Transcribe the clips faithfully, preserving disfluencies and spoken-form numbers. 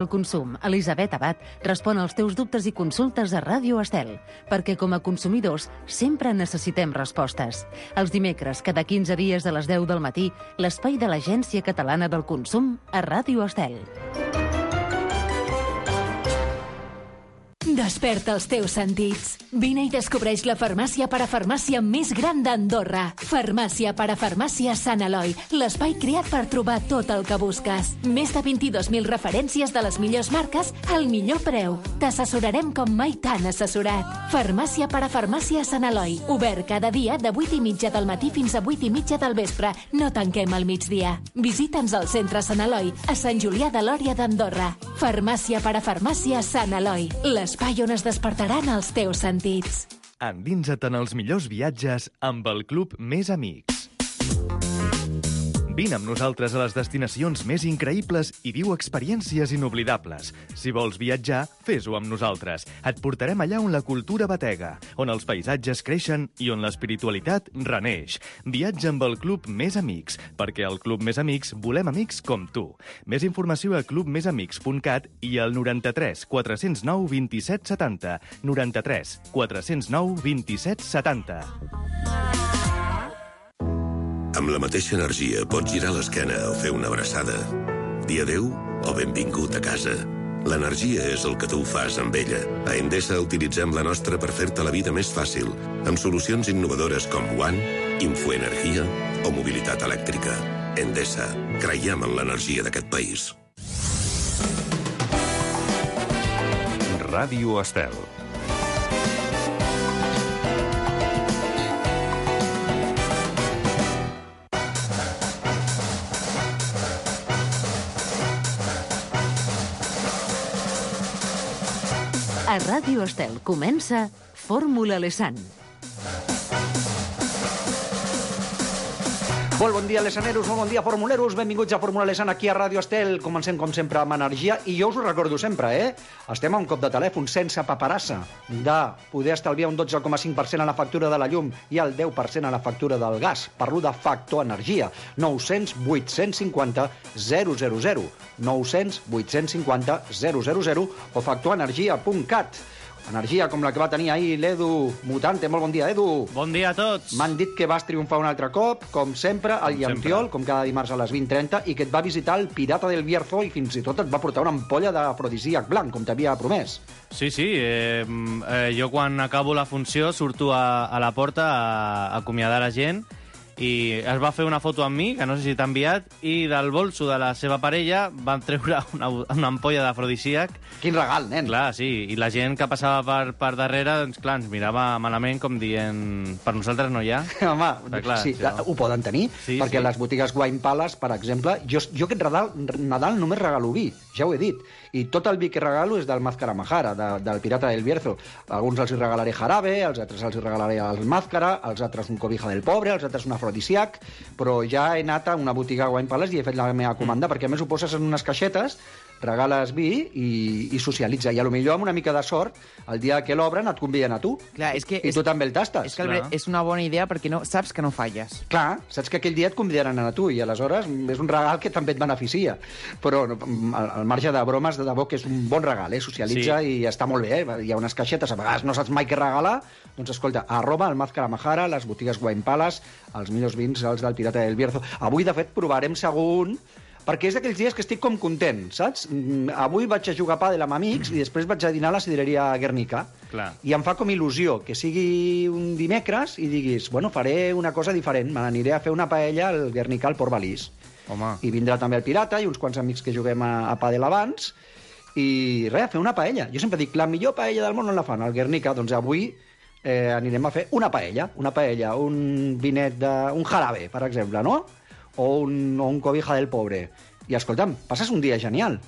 El consum, Elisabet Abad, respon als teus dubtes i consultes a Ràdio Estel, perquè com a consumidors sempre necessitem respostes. Els dimecres, cada quinze dies a les deu del matí, l'espai de l'Agència Catalana del Consum a Ràdio Estel. Desperta els teus sentits. Vine i descobreix la farmàcia parafarmàcia més gran d'Andorra. Farmàcia parafarmàcia Sant Eloi, l'espai creat per trobar tot el que busques. Més de vint-i-dos mil referències de les millors marques al millor preu. T'assessorarem com mai t'han assessorat. Farmàcia parafarmàcia Sant Eloi, obert cada dia de vuit i mitja del matí fins a vuit i mitja del vespre. No tanquem al migdia. Visita'ns al centre Sant Eloi, a Sant Julià de Lòria d'Andorra. Farmàcia parafarmàcia Sant Eloi, l'espai on es despertaran els teus sentits. Endinsa't en els millors viatges amb el Club Més Amics. Vine amb nosaltres a les destinacions més increïbles i viu experiències inoblidables. Si vols viatjar, fes-ho amb nosaltres. Et portarem allà on la cultura batega, on els paisatges creixen i on l'espiritualitat reneix. Viatja amb el Club Més Amics, perquè al Club Més Amics volem amics com tu. Més informació a club més amics punt cat i al noranta-tres quatre-cents nou vint-i-set setanta. noranta-tres quatre-cents nou vint-i-set setanta. Amb la mateixa energia pots girar l'esquena o fer una abraçada. Dir adéu o benvingut a casa. L'energia és el que tu fas amb ella. A Endesa utilitzem la nostra per fer-te la vida més fàcil, amb solucions innovadores com One, Infoenergia o mobilitat elèctrica. Endesa, creiem en l'energia d'aquest país. Ràdio Estel. A Ràdio Estel comença Fórmula Lesan. Molt bon dia, lesaneros, molt bon dia, formuleros. Benvinguts a Fórmula Lesan aquí a Ràdio Estel. Comencem, com sempre, amb energia. I jo us ho recordo sempre, eh? Estem a un cop de telèfon sense paperassa de poder estalviar un dotze coma cinc per cent a la factura de la llum i el deu per cent a la factura del gas. Parlo de Factor Energia. nou-cents vuit-cents cinquanta zero zero zero. nou-cents vuit-cents cinquanta zero zero zero o factorenergia punt cat. Energia com la que va tenir ahir l'Edu Mutante. Molt bon dia, Edu. Bon dia a tots. M'han dit que vas triomfar un altre cop, com sempre, al Llampiol, com cada dimarts a les vint trenta, i que et va visitar el Pirata del Bierzo i fins i tot et va portar una ampolla d'afrodisíac blanc, com t'havia promès. Sí, sí. Eh, eh, jo quan acabo la funció surto a, a la porta a, a acomiadar la gent i es va fer una foto amb mi, que no sé si t'ha enviat, i del bolso de la seva parella van treure una, una ampolla d'afrodisíac. Quin regal, nen. Clar, sí, i la gent que passava per, per darrere, doncs clar, ens mirava malament com dient, per nosaltres no hi ha. Home, Però, clar, sí, sí, no? ho poden tenir, Sí, perquè sí. les botigues Wine Palace, per exemple, jo, jo aquest Nadal, Nadal només regalo vi, ja ho he dit, i tot el vi que regalo és del Màscara Majara, de, del Pirata del Bierzo. Alguns els hi regalaré jarabe, els altres els hi regalaré el Màscara, els altres un cobija del pobre, els altres un afrodisíac, però ja he anat a una botiga Wine Palace i he fet la meva comanda, mm. perquè a més ho poses en unes caixetes, regales vi i, i socialitza. I a lo millor amb una mica de sort, el dia que l'obren et conviden a tu. Clar, és que, I és, tu també el tastes. és que Albert, és una bona idea perquè no, saps que no falles. Clar, saps que aquell dia et convidaran a tu i aleshores és un regal que també et beneficia. Però no, al, al marge de bromes, de debò que és un bon regal, eh? Socialitza sí. i està molt bé, eh? Hi ha unes caixetes, a vegades no saps mai què regalar, doncs escolta, arroba el Màscara Majara, les botigues Wine Palace, els millors vins, els del Pirata del Bierzo. Avui, de fet, provarem segon, perquè és d'aquells dies que estic com content, saps? Avui vaig a jugar a pàdel amb amics i després vaig a dinar a la sidreria Guernica. Clar. I em fa com il·lusió que sigui un dimecres i diguis, bueno, faré una cosa diferent, me n'aniré a fer una paella al Guernica, al Port Balís. Home. I vindrà també el Pirata i uns quants amics que juguem a, a pàdel abans i res, a fer una paella. Jo sempre dic, la millor paella del món on la fan, al Guernica. Doncs avui eh, anirem a fer una paella, una paella, un vinet de... un jarabe, per exemple, no? O un, o un cobija del pobre. I escolta'm, passes un dia genial.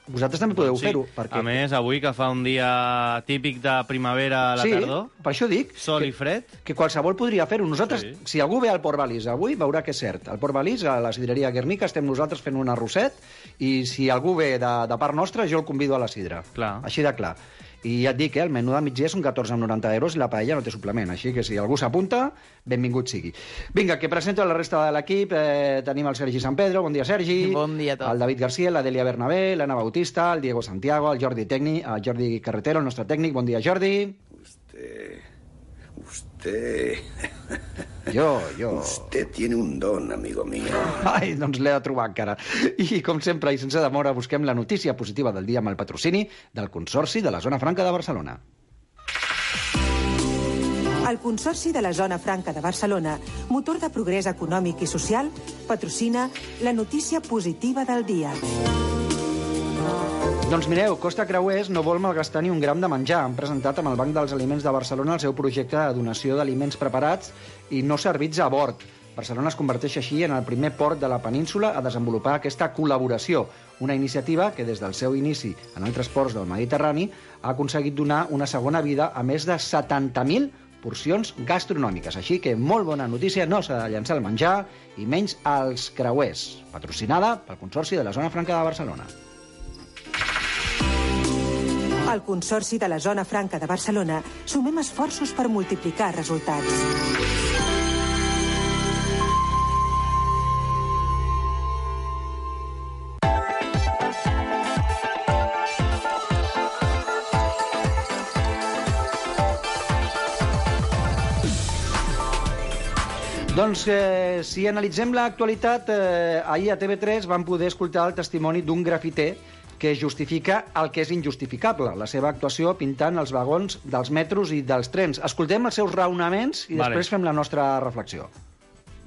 Vosaltres també podeu sí. fer-ho. Perquè... A més, avui que fa un dia típic de primavera a la sí, tardor... per això dic... Sol que, i fred... Que qualsevol podria fer-ho. Nosaltres, Sí. si algú ve al Port Balís avui, veurà que és cert. Al Port Balís, a la sidreria Guernica, estem nosaltres fent un arrosset i si algú ve de, de part nostra, jo el convido a la sidra. Clar. Així de clar. I ja et dic, eh, el menú de migdia són catorze coma noranta euros i la paella no té suplement, així que si algú s'apunta, benvingut sigui. Vinga, que presento la resta de l'equip. Eh, tenim el Sergi Sant Pedro, bon dia Sergi. Bon dia a tots. El David García, la Delia Bernabé, l'Anna Bautista, el Diego Santiago, el Jordi Tècnic, el Jordi Carretero, el nostre tècnic. Bon dia, Jordi. Usted... Usted... Jo, jo... Usted tiene un don, amigo mío. Ai, doncs l'he de trobar encara. I, com sempre, i sense demora, busquem la notícia positiva del dia amb el patrocini del Consorci de la Zona Franca de Barcelona. El Consorci de la Zona Franca de Barcelona, motor de progrés econòmic i social, patrocina la notícia positiva del dia. Doncs mireu, Costa Creuers no vol malgastar ni un gram de menjar. Han presentat amb el Banc dels Aliments de Barcelona el seu projecte de donació d'aliments preparats i no servits a bord. Barcelona es converteix així en el primer port de la península a desenvolupar aquesta col·laboració, una iniciativa que des del seu inici en altres ports del Mediterrani ha aconseguit donar una segona vida a més de setanta mil porcions gastronòmiques. Així que molt bona notícia, no s'ha de llançar el menjar i menys als creuers, patrocinada pel Consorci de la Zona Franca de Barcelona. Al Consorci de la Zona Franca de Barcelona sumem esforços per multiplicar resultats. Doncs, eh, si analitzem l'actualitat, eh, ahir a T V tres vam poder escoltar el testimoni d'un grafiter que justifica el que és injustificable, la seva actuació pintant els vagons dels metros i dels trens. Escoltem els seus raonaments i Vale. després fem la nostra reflexió.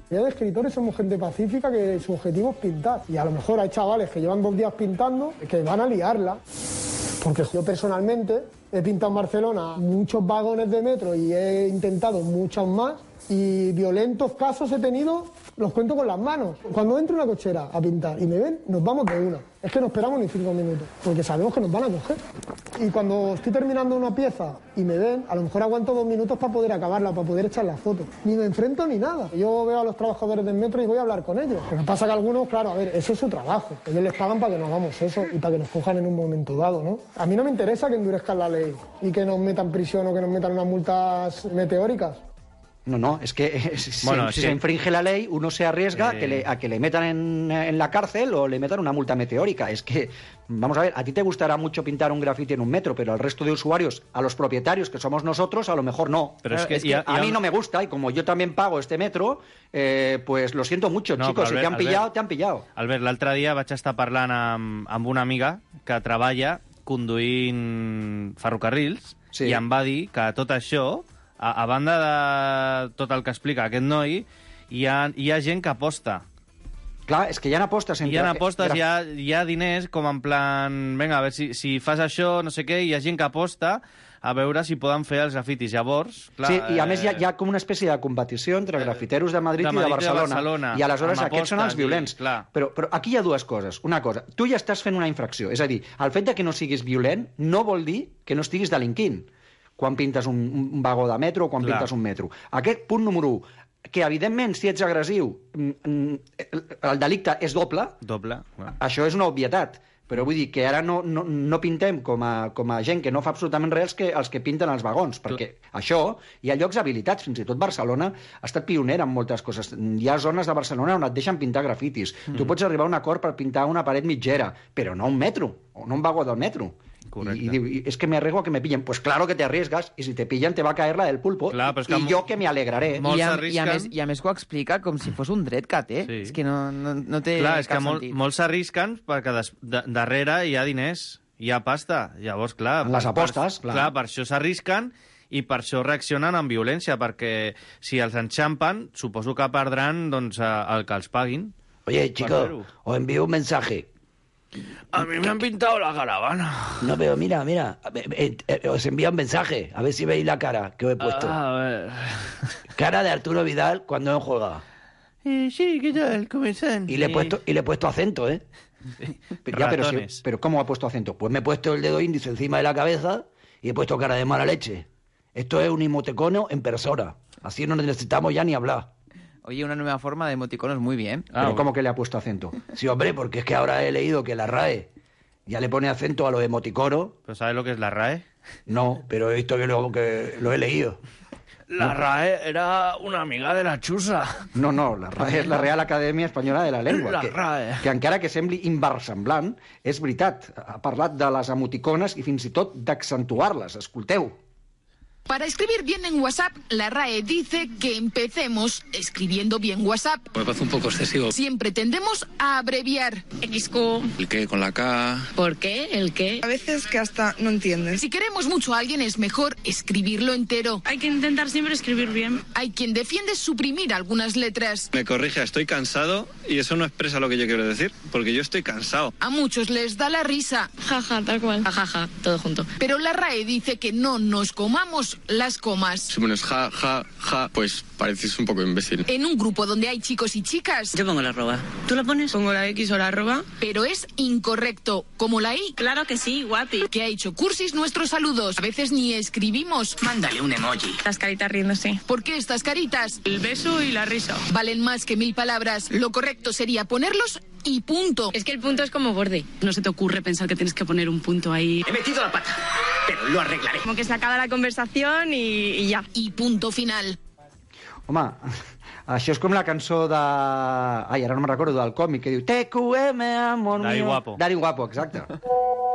Ya de escritores somos gente pacífica que su objetivo es pintar. Y a lo mejor hay chavales que llevan dos días pintando que van a liarla. Porque yo personalmente he pintado en Barcelona muchos vagones de metro y he intentado muchos más. Y violentos casos he tenido, los cuento con las manos. Cuando entro en una cochera a pintar y me ven, nos vamos de una. Es que no esperamos ni cinco minutos, porque sabemos que nos van a coger. Y cuando estoy terminando una pieza y me ven, a lo mejor aguanto dos minutos para poder acabarla, para poder echar la foto. Ni me enfrento ni nada. Yo veo a los trabajadores del metro y voy a hablar con ellos. Lo que pasa que algunos, claro, a ver, eso es su trabajo. Ellos les pagan para que no hagamos eso y para que nos cojan en un momento dado, ¿no? A mí no me interesa que endurezcan la ley y que nos metan prisión o que nos metan unas multas meteóricas. No, no, es que eh, si, Bueno, si sí. se infringe la ley, uno se arriesga Eh... que le, a que le metan en, en la cárcel o le metan una multa meteórica. Es que, vamos a ver, a ti te gustará mucho pintar un grafiti en un metro, pero al resto de usuarios, a los propietarios que somos nosotros, a lo mejor no. Pero es que es que ya- a ya- mí no me gusta y como yo también pago este metro, eh, pues lo siento mucho, No, chicos, però, si te Albert, han pillado, Albert. te han pillado. Albert, l'altre dia vaig estar parlant amb, amb una amiga que treballa conduint ferrocarrils Sí. i em va dir que tot això, a, a banda de tot el que explica aquest noi, hi ha, hi ha gent que aposta. Clar, és que hi ha apostes entre... Hi ha apostes, graf- hi ha, hi ha diners com en plan... Vinga, a veure si, si fas això, no sé què, hi ha gent que aposta a veure si poden fer els grafitis. Llavors, clar... Sí, i a més hi ha, eh, hi ha com una espècie de competició entre grafiteros de Madrid, de i de Madrid i de Barcelona. Barcelona, I aleshores amb aquests són els apostes i- violents. clar. Però, però aquí hi ha dues coses. Una cosa, tu ja estàs fent una infracció. És a dir, el fet de que no siguis violent no vol dir que no estiguis delinquint quan pintes un, un vagó de metro o quan Clar. pintes un metro. Aquest punt número u, que evidentment si ets agressiu mm, mm, el delicte és doble, Doble. Bueno. això és una obvietat. Però vull dir que ara no, no, no pintem com a, com a gent que no fa absolutament res que els que pinten els vagons, perquè això, hi ha llocs habilitats, fins i tot Barcelona ha estat pionera en moltes coses. Hi ha zones de Barcelona on et deixen pintar grafitis. Mm. Tu pots arribar a un acord per pintar una paret mitgera, però no un metro, o no un vagó del metro. Correcte. I, i diu, "I es que me arriesgo a que me pillen". Pues claro que te arriesgas, y si te pillan te va a caer la del pulpo, Clar, però és que i mo- jo que me alegraré. Molts I a, i, a s'arrisquen. més, I a més que ho explica com si fos un dret que té. Sí. És que no, no, no té Clar, és que cap mol, sentit. molts s'arrisquen perquè des, de, darrere hi ha diners, hi ha pasta. Llavors, clar... En les per- apostes, per, clar. clar. Per això s'arrisquen i per això reaccionen amb violència, perquè si els enxampen, suposo que perdran doncs, a- el que els paguin. Oye, Barbero. chicos, os envío un mensaje. A mi me han pintado la caravana. No, pero mira, mira, eh, eh, os envío un mensaje, a ver si veis la cara que os he puesto. A ver... Cara de Arturo Vidal cuando no juega. Eh, sí, ¿qué tal? ¿Cómo están? Y le he Eh, puesto, y le he puesto acento, ¿eh? Pero, ya, pero, si- Ratones. pero ¿cómo ha puesto acento? Pues me he puesto el dedo índice encima de la cabeza y he puesto cara de mala leche. Esto es un emoticono en persona. Así no necesitamos ya ni hablar. Oye, una nueva forma de emoticonos muy bien. Ah, Pero ¿cómo que le ha puesto acento? Sí, hombre, porque es que ahora he leído que la R A E ya le pone acento a los emoticonos. ¿Pero sabes lo que es la R A E? No, pero he visto que lo, que lo he leído. La RAE era una amiga de la Xusa. No, no, la RAE és la Real Acadèmia Espanyola de la Llengua. La que, RAE. que encara que sembli inversemblant, és veritat. Ha parlat de les emoticones i fins i tot d'accentuar-les. Escolteu. Para escribir bien en WhatsApp, la RAE dice que empecemos escribiendo bien WhatsApp. Me parece un poco excesivo. Siempre tendemos a abreviar. X Q. ¿El qué con la K? ¿Por qué? ¿El qué? A veces que hasta no entiendes. Si queremos mucho a alguien es mejor escribirlo entero. Hay que intentar siempre escribir bien. Hay quien defiende suprimir algunas letras. Me corrige, estoy cansado y eso no expresa lo que yo quiero decir, porque yo estoy cansado. A muchos les da la risa. Jaja, tal cual. Jajaja, ja, todo junto. Pero la RAE dice que no nos comamos las comas. Si pones ja, ja, ja, pues pareces un poco imbécil. En un grupo donde hay chicos y chicas... Yo pongo la arroba. ¿Tú la pones? Pongo la X o la arroba. Pero es incorrecto. Como la I. Claro que sí, guapi. Que ha hecho cursis nuestros saludos. A veces ni escribimos. Mándale un emoji. Las caritas riéndose. ¿Por qué estas caritas? El beso y la risa. Valen más que mil palabras. Lo correcto sería ponerlos y punto. Es que el punto es como borde. No se te ocurre pensar que tienes que poner un punto ahí. He metido la pata, pero lo arreglaré. Como que se acaba la conversación y, y ya. Y punto final. Home, això és com la cançó de... Ai, ara no me'n recordo, del còmic, que diu T Q M, amor mío... Dari Guapo. Dari Guapo, exacte.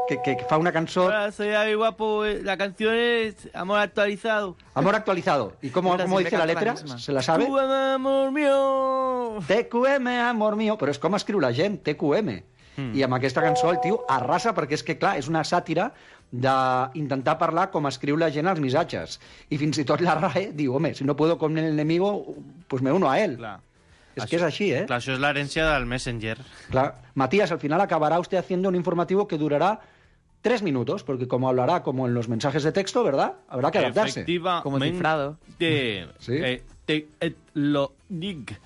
Que, que, que fa una cançó... Hola, soy Dari Guapo, la canción es Amor Actualizado. Amor Actualizado. ¿Y cómo, cómo dice la letra? La ¿Se la sabe? T Q M, amor mío. T Q M, amor mío. Però és com escriu la gent, T Q M. Mm. I amb aquesta cançó el tio arrasa, perquè és que, clar, és una sàtira d'intentar parlar com escriu la gent als missatges. I fins i tot la RAE diu, home, si no puedo con el enemigo, pues me uno a él. Clar. És això, que és així, ¿eh? Clar, això és l'herència del Messenger. Clar. Matías, al final acabará usted haciendo un informativo que durará tres minutos, porque como hablará como en los mensajes de texto, ¿verdad? Habrá que adaptarse. Efectivamente. Como cifrado. ¿Sí? Eh, te, eh, lo diga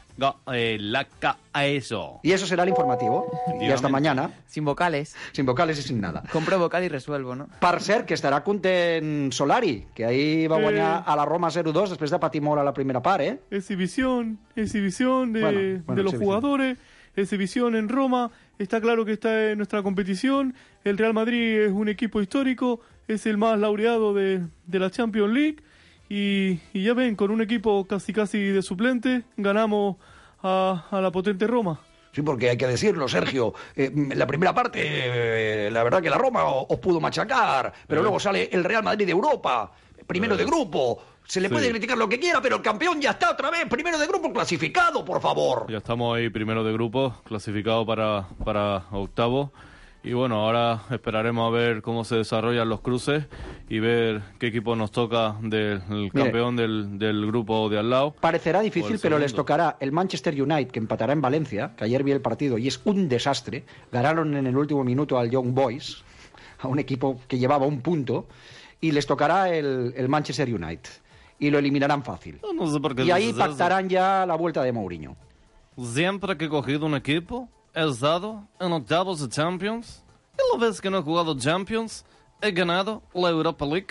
eh, la ca a eso. Y eso será el informativo. Y hasta mañana. Sin vocales. Sin vocales y sin nada. Compro vocal y resuelvo, no? Per cert, que estarà content Solari, que ahí va guanyar Eh. a la Roma cero dos després de patir molt a la primera part, ¿eh? Exhibición, exhibición de, Bueno, bueno, de los exhibición. jugadores, exhibición en Roma. Está claro que está en nuestra competición. El Real Madrid es un equipo histórico, es el más laureado de, de la Champions League. Y, y ya ven, con un equipo casi casi de suplente, ganamos a, a la potente Roma. Sí, porque hay que decirlo, Sergio. Eh, la primera parte, eh, la verdad que la Roma os pudo machacar, pero Eh. luego sale el Real Madrid de Europa, primero Eh. de grupo. Se le Sí. puede criticar lo que quiera, pero el campeón ya está otra vez, primero de grupo clasificado, por favor. Ya estamos ahí primero de grupo, clasificado para, para octavo. Y bueno, ahora esperaremos a ver cómo se desarrollan los cruces y ver qué equipo nos toca del el campeón del, del grupo de al lado. Parecerá O difícil, el pero les segundo. tocará el Manchester United, que empatará en Valencia, que ayer vi el partido y es un desastre. Ganaron en el último minuto al Young Boys, a un equipo que llevaba un punto, y les tocará el, el Manchester United. Y lo eliminarán fácil. No, no sé por qué Y ahí dices eso. pactarán ya la vuelta de Mourinho. Siempre que he cogido un equipo, he estado en octavos de Champions. Y la vez que no he jugado Champions, he ganado la Europa League.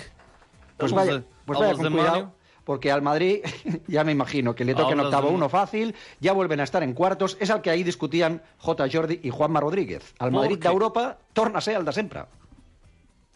Pues Vamos vaya, de- pues a vaya los con de cuidado, Manu. porque al Madrid, ya me imagino, que le toca en Hablas octavo de- uno fácil, ya vuelven a estar en cuartos, és el que ahí discutían J. Jordi y Juanma Rodríguez. Al ¿Por Madrid qué? d'Europa torna a ser el de sempre.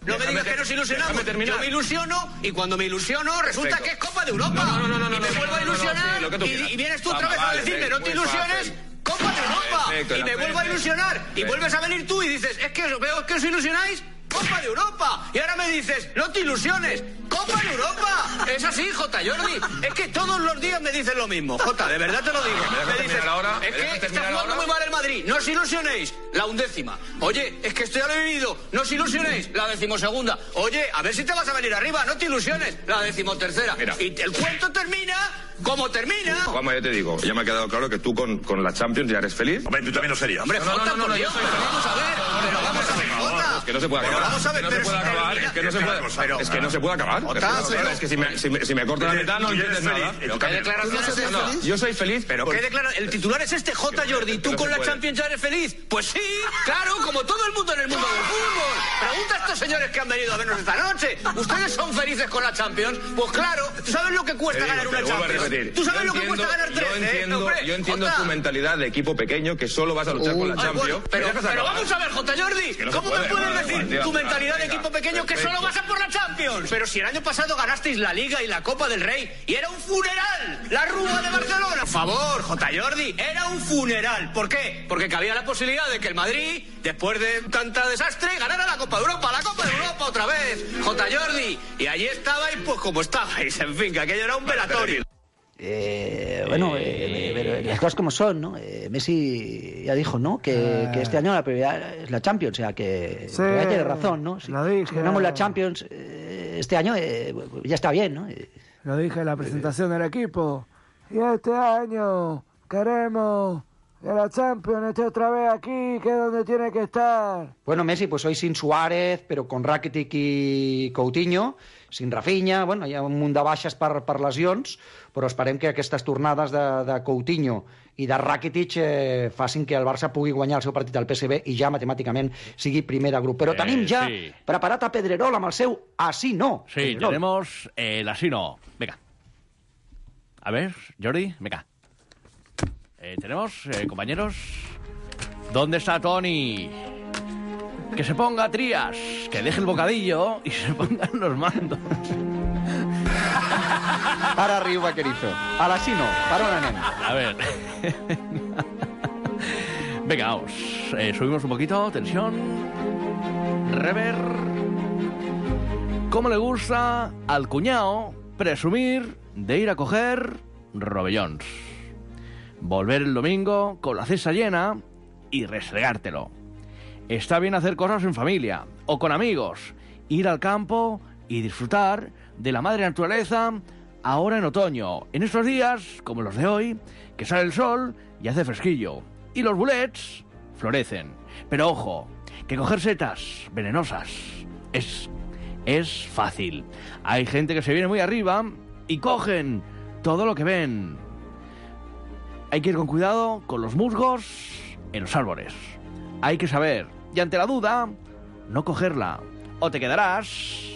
No me digas que nos ilusionamos. Yo me ilusiono y cuando me ilusiono resulta Perfecto. que es Copa de Europa. No, no, no, no, y me no, vuelvo a no, no, ilusionar sí, lo que tú y- quieras. y, vienes tú Vamos, otra vez a vale, decirme, no te muy ilusiones. fácil. Copa de Europa. Perfecto, y me la vuelvo a Premier. ilusionar. Y Perfecto. vuelves a venir tú y dices, es que os veo que os ilusionáis. Copa de Europa. Y ahora me dices, no te ilusiones. Copa de Europa. Es así, J. Jordi. Es que todos los días me dicen lo mismo. J, de verdad te lo digo. ¿Me dejas Me dices, terminar ahora? ¿Me es dejas que está terminar jugando ahora? muy mal el Madrid. No os ilusionéis. La undécima. Oye, es que esto ya lo he vivido. No os ilusionéis. La decimosegunda. Oye, a ver si te vas a venir arriba. No te ilusiones. La decimotercera. Mira. Y el cuento termina como termina. Juanma, ya te digo, ya me ha quedado claro que tú con, con la Champions ya eres feliz. Hombre, tú también lo serías. Hombre, No, no, Jota, no, no, por no, Dios, yo soy pero feliz. vamos a ver, pero vamos a ver, Jota. Es que no se puede Pero acabar. vamos a ver, Es que no se pero puede si- acabar. Es que no se pero- puede. pero- Es que no se puede acabar. Jota, Es que- pero- Es que si me, si me, si me corto la mitad no Tú ya eres entiendes nada. feliz. Pero qué declaraciones es No, no, feliz. yo soy feliz. Pero qué declara... El titular es este, J. Jordi. ¿Tú no con se la puede. Champions ya eres feliz? Pues sí, claro, como todo el mundo en el mundo del fútbol. Pregunta a estos señores que han venido a vernos esta noche. ¿Ustedes son felices con la Champions? Pues claro, ¿tú sabes lo que cuesta ganar una Champions? ¿Tú sabes lo que cuesta ganar tres? Yo entiendo, ¿eh? Hombre, yo entiendo Jota. tu mentalidad de equipo pequeño, que solo vas a luchar con la Ay, Champions. bueno, pero, pero vamos a ver, J. Jordi, que no se ¿cómo puede, me puedes vale, decir vale, tu vale, mentalidad venga, de equipo pequeño que perfecto. solo vas a por la Champions? Pero si el año pasado ganasteis la Liga y la Copa del Rey y era un funeral, la Rúa de Barcelona. Por favor, J. Jordi, era un funeral. ¿Por qué? Porque cabía la posibilidad de que el Madrid, después de tanta desastre, ganara la Copa de Europa, la Copa de Europa otra vez, J. Jordi. Y allí estabais, pues como estabais, en fin, que aquello era un velatorio. Eh, bueno, eh, pero las cosas como son, ¿no? Eh, Messi ya dijo, ¿no? Que, que este año la prioridad es la Champions, o sea, que, Sí, que tiene razón, ¿no? Si, lo dije. si ganamos la Champions eh, este año, eh, ya está bien, ¿no? Eh, Lo dije en la presentación del equipo. Y este año queremos que la Champions esté otra vez aquí, que es donde tiene que estar. Bueno, Messi, pues hoy sin Suárez, però con Rakitic i Coutinho, sin Rafinha, bueno, hi ha un munt de baixes per, per lesions, però esperem que aquestes tornades de, de Coutinho i de Rakitic eh, facin que el Barça pugui guanyar el seu partit al P S V i ja matemàticament sigui primer de grup. Però Eh, tenim ja sí. preparat a Pedrerol amb el seu Así no. Sí, Pedrerol. tenemos el así no. Venga. A ver, Jordi, venga. Eh, tenemos, eh, compañeros. ¿Dónde está Tony? Que se ponga Trías, que deje el bocadillo y se pongan los mandos. Ara riu, vaquerizo. A l'Así no. Per on anem? A ver. Venga, vamos. Eh, subimos un poquito. Tensión. Rever. ¿Cómo le gusta al cuñado presumir de ir a coger robellons? Volver el domingo con la cesta llena y restregártelo. Está bien hacer cosas en familia o con amigos. Ir al campo y disfrutar de la madre naturaleza ahora en otoño. En estos días, como los de hoy, que sale el sol y hace fresquillo. Y los bulets florecen. Pero ojo, que coger setas venenosas es, es fácil. Hay gente que se viene muy arriba y cogen todo lo que ven. Hay que ir con cuidado con los musgos en los árboles. Hay que saber, y ante la duda, no cogerla, o te quedarás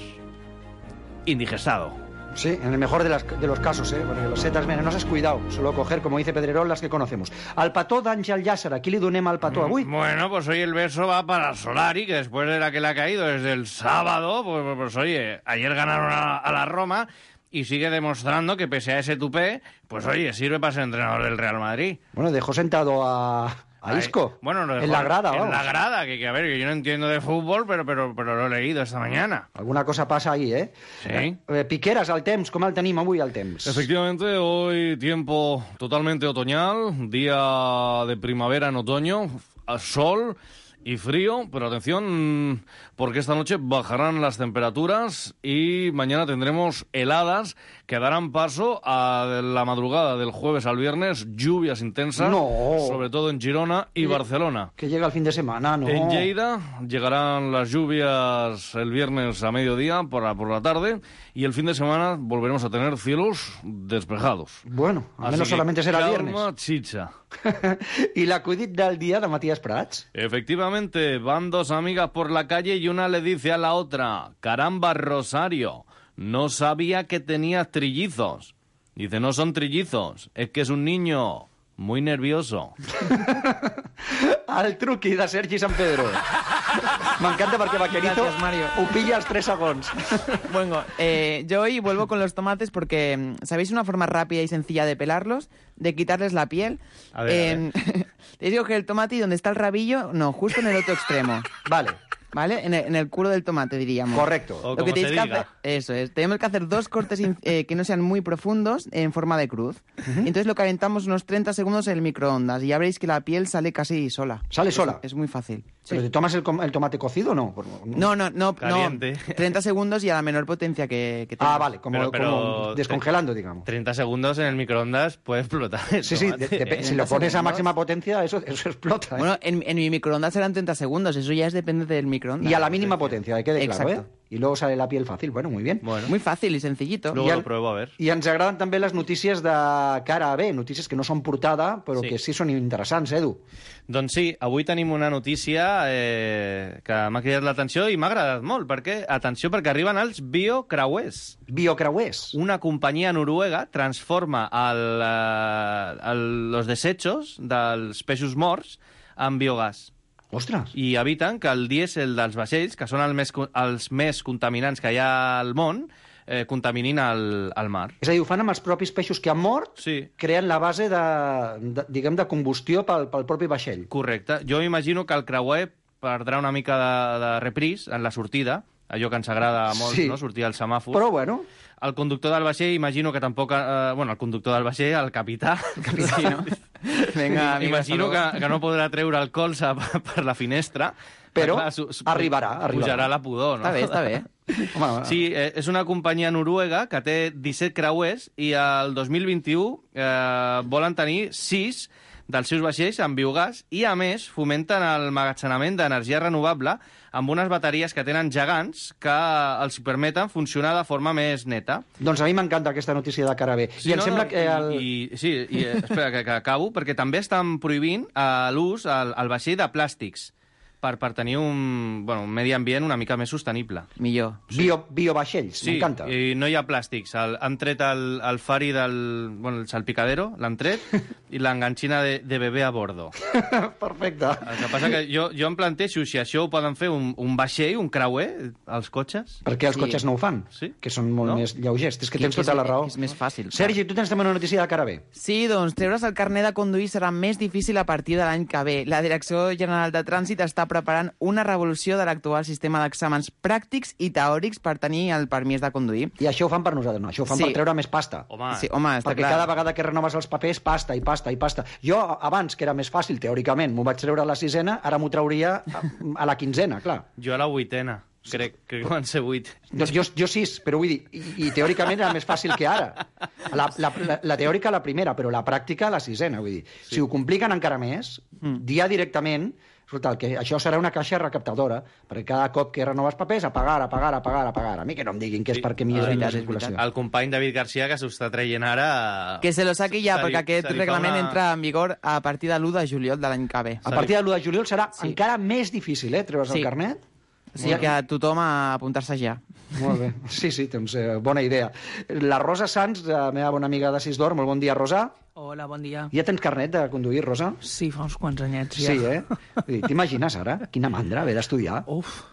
indigestado. Sí, en el mejor de, las, de los casos, ¿eh? Porque los setas venenosas, cuidado, solo coger, como dice Pedrerol, las que conocemos. Al petó d'Àngel Llàcer, aquí li donem al petó avui? Bueno, pues hoy el beso va para Solari, que después de la que le ha caído desde el sábado, pues, pues, pues oye, ayer ganaron a, a la Roma y sigue demostrando que pese a ese tupé, pues oye, sirve para ser entrenador del Real Madrid. Bueno, dejó sentado a, a Isco. Ay, bueno, lo dejó en la grada, En vamos. la grada, que, que a ver, que yo no entiendo de fútbol, pero, pero, pero lo he leído esta mañana. Alguna cosa passa ahí, eh? Sí. Eh, Piqueras, el temps, com el tenim avui, el temps? Efectivamente, hoy tiempo totalmente otoñal, día de primavera en otoño, a sol y frío, pero atención, porque esta noche bajarán las temperaturas y mañana tendremos heladas que darán paso a la madrugada del jueves al viernes, lluvias intensas, No. sobre todo en Girona y Que- Barcelona. Que llega el fin de semana, ¿no? En Lleida llegarán las lluvias el viernes a mediodía por la, por la tarde y el fin de semana volveremos a tener cielos despejados. Bueno, al Así menos que solamente será calma, viernes. chicha. I l'acudit del dia de Matías Prats? Efectivamente, van dos amigas por la calle y una le dice a la otra: caramba, Rosario, no sabía que tenías trillizos. Dice, no son trillizos, es que es un niño muy nervioso. El truqui de Sergi San Pedro. M'encanta perquè Vaquerizo Gracias, Mario. ho pilla als tres segons. Bueno, eh, yo hoy vuelvo con los tomates porque, mm, ¿sabéis una forma rápida y sencilla de pelarlos? De quitarles la piel. A ver, a Eh, Te digo que el tomate y donde está el rabillo, no, justo en el otro extremo. Vale. ¿Vale? En el, en el culo del tomate, diríamos. Correcto. O Lo como que tenéis se que diga. hacer, eso es, tenemos que hacer dos cortes in- eh, que no sean muy profundos en forma de cruz. Y entonces lo calentamos unos treinta segundos en el microondas y ya veréis que la piel sale casi sola. ¿Sale Es- sola? Es, muy fácil. ¿Pero te tomas el, com- el tomate cocido o no? No, no, no, Caliente. no. treinta segundos y a la menor potencia que, que Ah, tengas. vale, como, Pero- pero- como descongelando, digamos. treinta segundos en el microondas puede explotar el Sí, sí, tomate, de- de- ¿eh? si lo pones a segundos. máxima potencia, eso, eso explota. ¿eh? Bueno, en, en mi microondas eran treinta segundos, eso ya es depende del microondas microondas. Y a la mínima potencia, que quede claro, Exacto. ¿eh? Y luego sale la piel fácil. Bueno, muy bien. Bueno. Muy fácil y sencillito. Luego I lo en- pruebo, a ver. I ens agraden també les notícies de cara a bé, notícies que no són portada, però Sí. que sí són interessants, Edu. Doncs sí, avui tenim una notícia eh, que m'ha cridat l'atenció i m'ha agradat molt, perquè, atenció, perquè arriben els biocreuers. Biocreuers. Una companyia noruega transforma el, eh, el, los desechos dels peixos morts en biogàs. Ostres! I eviten que el dièsel dels vaixells, que són el més, co- els més contaminants que hi ha al món, eh, contaminin el, el mar. És a dir, ho fan amb els propis peixos que han mort, Sí. creen la base de, de, diguem, de combustió pel, pel propi vaixell. Correcte. Jo imagino que el creuer perdrà una mica de, de repris en la sortida, allò que ens agrada molt, Sí. no?, sortir al semàfor. Però, bueno... El conductor del vaixell, imagino que tampoc... Eh, bueno, el conductor del vaixell, el capità... Sí, no? Venga, amigo, imagino hasta que, que no podrà treure el colze per, per la finestra. Però Clar, su, su, arribarà, arribarà. Pujarà la pudor, no? Està bé, està bé. Home, Sí, eh, és una companyia noruega que té disset creuers i el dos mil vint-i-u eh, volen tenir sis dels seus vaixells amb biogàs i, a més, fomenten el magatzenament d'energia renovable amb unes bateries que tenen gegants que els permeten funcionar de forma més neta. Doncs a mi m'encanta aquesta notícia de cara a bé. I em sembla que... El... I, i, sí, i, eh, espera, que, que acabo, perquè també estan prohibint eh, l'ús al, al vaixell de plàstics per, per tenir un, bueno, un medi ambient una mica més sostenible. Millor. Bio, biovaixells, Sí, m'encanta. i no hi ha plàstics. El, han tret el, el fari del... Bueno, el salpicadero, l'han tret, i l'enganxina de, de bebè a bordo. Perfecte. El que passa que jo, jo em plantejo si això ho poden fer un, un vaixell, un creuer, els cotxes. Perquè els Sí. cotxes no ho fan, Sí. que són molt No? més lleugers. És que Que- tens que tota és- la raó. que és més fàcil. Sergi, tu tens també una notícia de cara a bé. Sí, doncs treure's el carnet de conduir serà més difícil a partir de l'any que ve. La Direcció General de Trànsit està preparant una revolució de l'actual sistema d'exàmens pràctics i teòrics per tenir el permís de conduir. I això ho fan per nosaltres, no? Això ho fan Sí. per treure més pasta. Home, Sí, home, està Perquè clar. cada vegada que renoves els papers, pasta i pasta i pasta. Jo, abans, que era més fàcil, teòricament, m'ho vaig treure a la sisena, ara m'ho trauria a, a la quinzena, clar. jo a la vuitena. Crec, crec que van ser vuit. Doncs jo, jo sis, però vull dir, i, i teòricament era més fàcil que ara. La, la, la, la teòrica la primera, però la pràctica la sisena, vull dir. Sí. Si ho compliquen encara més, mm. dia directament, escolta, el que, això serà una caixa recaptadora, perquè cada cop que renoves papers, a pagar, a pagar, a pagar, a pagar. A mi que no em diguin que és perquè m'hi és la circulació. El company David Garcia, que s'ho està traient ara... Que se lo saqui ja, Se li- perquè aquest se li fa reglament una- entra en vigor a partir de l'u de juliol de l'any que ve. A partir de l'u de juliol serà Sí. encara més difícil, eh, treure's Sí. el carnet. O sigui que tothom a apuntar-se ja. Molt bé. Sí, sí, doncs eh, bona idea. La Rosa Sanz, la meva bona amiga de Sis d'Or, molt bon dia, Rosa. Hola, bon dia. Ja tens carnet de conduir, Rosa? Sí, fa uns quants anyets ja. Sí, eh? Vull dir, t'imagines ara? Quina mandra haver d'estudiar. Uf.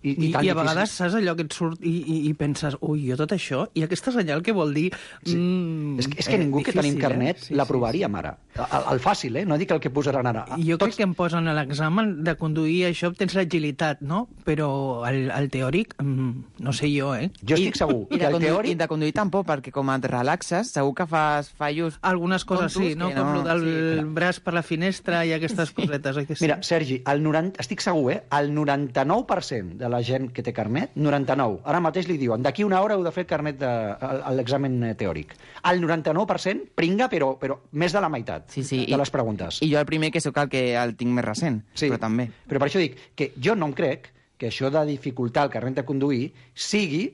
I, I, tan I a difícil. vegades saps allò que et surt i, i, i penses, ui, jo tot això, i aquesta senyal què vol dir? Sí. Mm, És que, és que ningú que tenim carnet eh? sí, l'aprovaríem ara. El, el fàcil, eh? No dic el que posaran ara. sí. Jo crec que em posen a l'examen de conduir això, tens l'agilitat, no? Però el, el teòric, mm, no sé jo, eh? Jo estic segur I que de, el conduir, teòric... I de conduir tampoc, perquè com et relaxes, segur que fas fallos... Algunes coses tontos sí, no? que Com no- el del sí, braç per la finestra i aquestes cosetes, oi que sí? Mira, Sergi, el noranta... estic segur, eh? El noranta-nou per cent de la gent que té carnet, noranta-nou, ara mateix li diuen, d'aquí una hora heu de fer el carnet de el- l'examen eh, teòric. El noranta-nou per cent pringa, però, però més de la meitat Sí, sí, de i- les preguntes. I jo el primer que sóc el que el tinc més recent, Sí, però també. Però per això dic que jo no em crec que això de dificultar el carnet de conduir sigui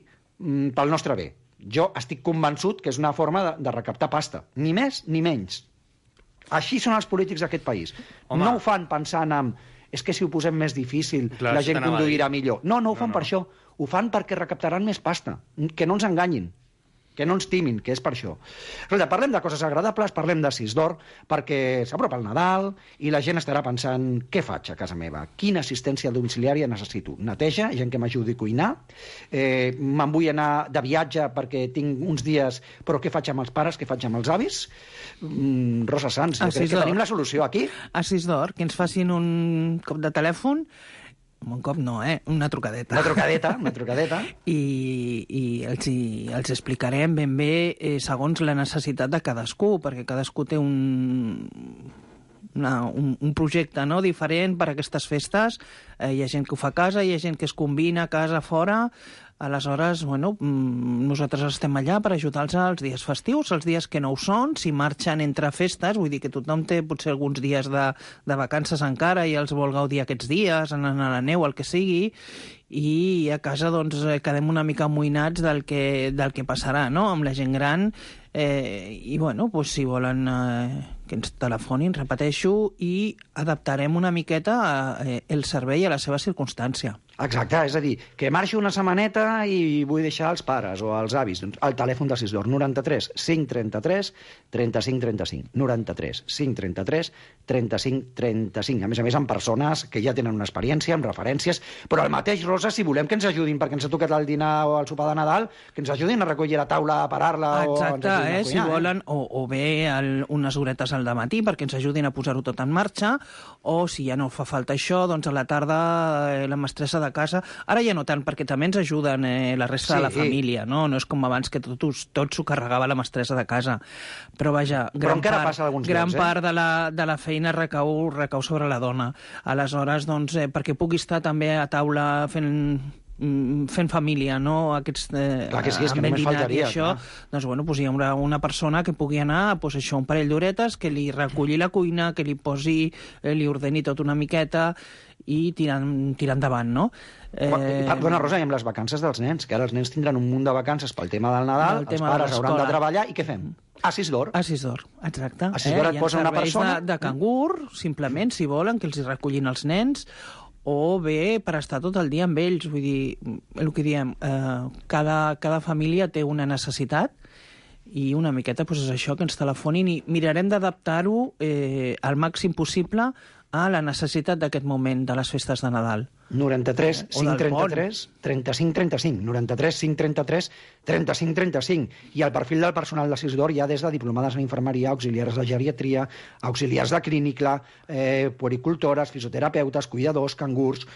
mm, pel nostre bé. Jo estic convençut que és una forma de, de recaptar pasta. Ni més ni menys. Així són els polítics d'aquest país. Home. No ho fan pensant en és que si ho posem més difícil Clar, la això gent t'anava a conduirà dir. millor. No, no ho fan No, no. per això. Ho fan perquè recaptaran més pasta. Que no ens enganyin. Que no ens timin, que és per això. Escolta, parlem de coses agradables, parlem de Sis d'Or, perquè s'apropa el Nadal i la gent estarà pensant què faig a casa meva? Quina assistència domiciliària necessito? Neteja, gent que m'ajudi a cuinar, eh, me'n vull anar de viatge perquè tinc uns dies, però què faig amb els pares, què faig amb els avis? Mm, Rosa Sanz, jo A crec Sis que d'Or. tenim la solució aquí. A Sis d'Or, que ens facin un cop de telèfon, un cop no, eh? Una trucadeta. Una trucadeta, una trucadeta. I, i els, hi, els explicarem ben bé eh, segons la necessitat de cadascú, perquè cadascú té un, una, un, un projecte no? diferent per a aquestes festes. Eh, hi ha gent que ho fa a casa, hi ha gent que es combina a casa, fora. Aleshores, bueno, nosaltres estem allà per ajudar-los els dies festius, els dies que no ho són, si marxen entre festes, vull dir que tothom té potser alguns dies de, de vacances encara i els vol gaudir aquests dies, anar a la neu, el que sigui, i a casa doncs quedem una mica amoïnats del que, del que passarà, no?, amb la gent gran, eh, i bueno, doncs, si volen eh, que ens telefonin, repeteixo, i adaptarem una miqueta eh, el servei a la seva circumstància. Exacte, és a dir, que marxi una setmaneta i vull deixar els pares o els avis. El telèfon de Sisdor, noranta-tres cinc trenta-tres trenta-cinc trenta-cinc. noranta-tres cinc trenta-tres trenta-cinc trenta-cinc. A més a més, amb persones que ja tenen una experiència, amb referències, però el mateix, Rosa, si volem que ens ajudin, perquè ens ha tocat el dinar o el sopar de Nadal, que ens ajudin a recollir la taula, a parar-la... Exacte, o ens eh? a cuinar, Si volen, o, o bé el, unes horetes al dematí perquè ens ajudin a posar-ho tot en marxa, o si ja no fa falta això, doncs a la tarda eh, la mestressa de casa... Ara ja no tant, perquè també ens ajuden eh, la resta Sí. de la família, no? No és com abans que tot, tot s'ho carregava la mestressa de casa. Però vaja, gran, encara part, passa alguns gran llocs, eh? part de la, de la feina recau, recau sobre la dona. Aleshores, doncs, eh, perquè pugui estar també a taula fent fent família, no? Aquests, eh, Clar que sí, és que només faltaria, i això, clar. doncs, bueno, doncs hi haurà una persona que pugui anar, doncs això, un parell d'horetes, que li reculli la cuina, que li posi, eh, li ordeni tot una miqueta i tirar, tirar endavant, no? Eh... Perdona, Rosa, i amb les vacances dels nens, que ara els nens tindran un munt de vacances pel tema del Nadal, els pares hauran de treballar, i què fem? A Sisdor. A Sisdor, exacte. A Sisdor eh? et posa una persona... De, de cangur, simplement, si volen, que els hi recullin els nens, o bé per estar tot el dia amb ells. Vull dir, el que diem, eh, cada, cada família té una necessitat, i una miqueta doncs, és això, que ens telefonin, i mirarem d'adaptar-ho eh, al màxim possible a la necessitat d'aquest moment de les festes de Nadal. noranta-tres cinc trenta-tres trenta-cinc trenta-cinc. noranta-tres cinc trenta-tres trenta-cinc trenta-cinc. I el perfil del personal de Sisdor hi ha des de diplomades en infermeria, auxiliars de geriatria, auxiliars de clínica, eh, puericultores, fisioterapeutes, cuidadors, cangurs,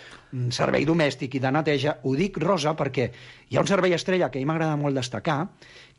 servei domèstic i de neteja. Ho dic, Rosa, perquè hi ha un servei estrella que a mi m'agrada molt destacar,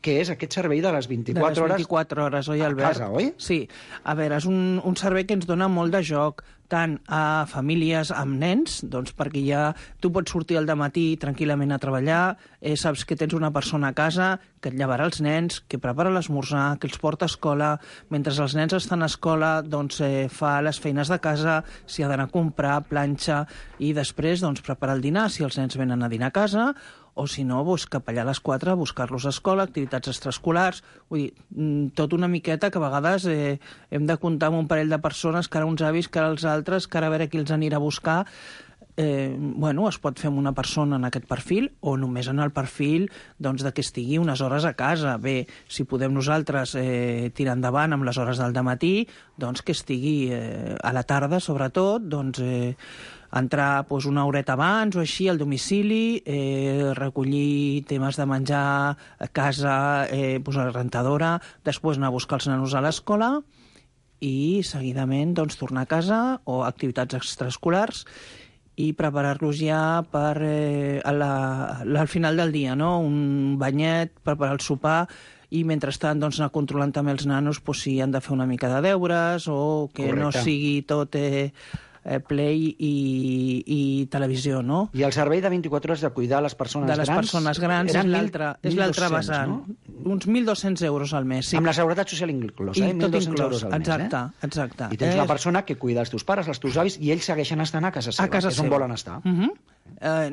que és aquest servei de les vint-i-quatre hores... De les vint-i-quatre hores, oi, Albert? A casa, oi? Sí. A veure, és un, un servei que ens dona molt de joc, tant a famílies amb nens, doncs perquè ja tu pots sortir al dematí tranquil·lament a treballar, eh, saps que tens una persona a casa que et llevarà els nens, que prepara l'esmorzar, que els porta a escola, mentre els nens estan a escola, doncs eh, fa les feines de casa, si ha d'anar a comprar, planxa, i després doncs preparar el dinar, si els nens venen a dinar a casa, o si no, doncs, cap allà a les quatre a buscar-los a escola, activitats extraescolars, vull dir, tot una miqueta que a vegades eh, hem de comptar amb un parell de persones, que ara uns avis, que ara els altres, que ara a veure qui els anirà a buscar. Eh, bueno, es pot fer amb una persona en aquest perfil, o només en el perfil doncs, de que estigui unes hores a casa. Bé, si podem nosaltres eh, tirar endavant amb les hores del dematí, doncs que estigui eh, a la tarda, sobretot, doncs... Eh, entrar doncs, una horeta abans o així al domicili, eh, recollir temes de menjar a casa, eh, doncs, a la rentadora, després anar a buscar els nanos a l'escola i seguidament doncs, tornar a casa o activitats extraescolars i preparar-los ja per eh, a la, al final del dia, no? Un banyet, preparar el sopar, i mentrestant doncs, anar controlant també els nanos doncs, si han de fer una mica de deures o que Correcte. no sigui tot... Eh, Play i, i televisió, no? I el servei de vint-i-quatre hores de cuidar les persones grans... De les grans, persones grans és l'altre mil dos-cents, vessant. No? Uns mil dos-cents euros al mes, sí. Amb la seguretat social inclosa, eh? I tot inclòs, euros al exacte, mes, eh? exacte. I tens eh? la persona que cuida els teus pares, els teus avis, i ells segueixen estant a casa seva, a casa que és on seva. volen estar. Uh -huh. eh,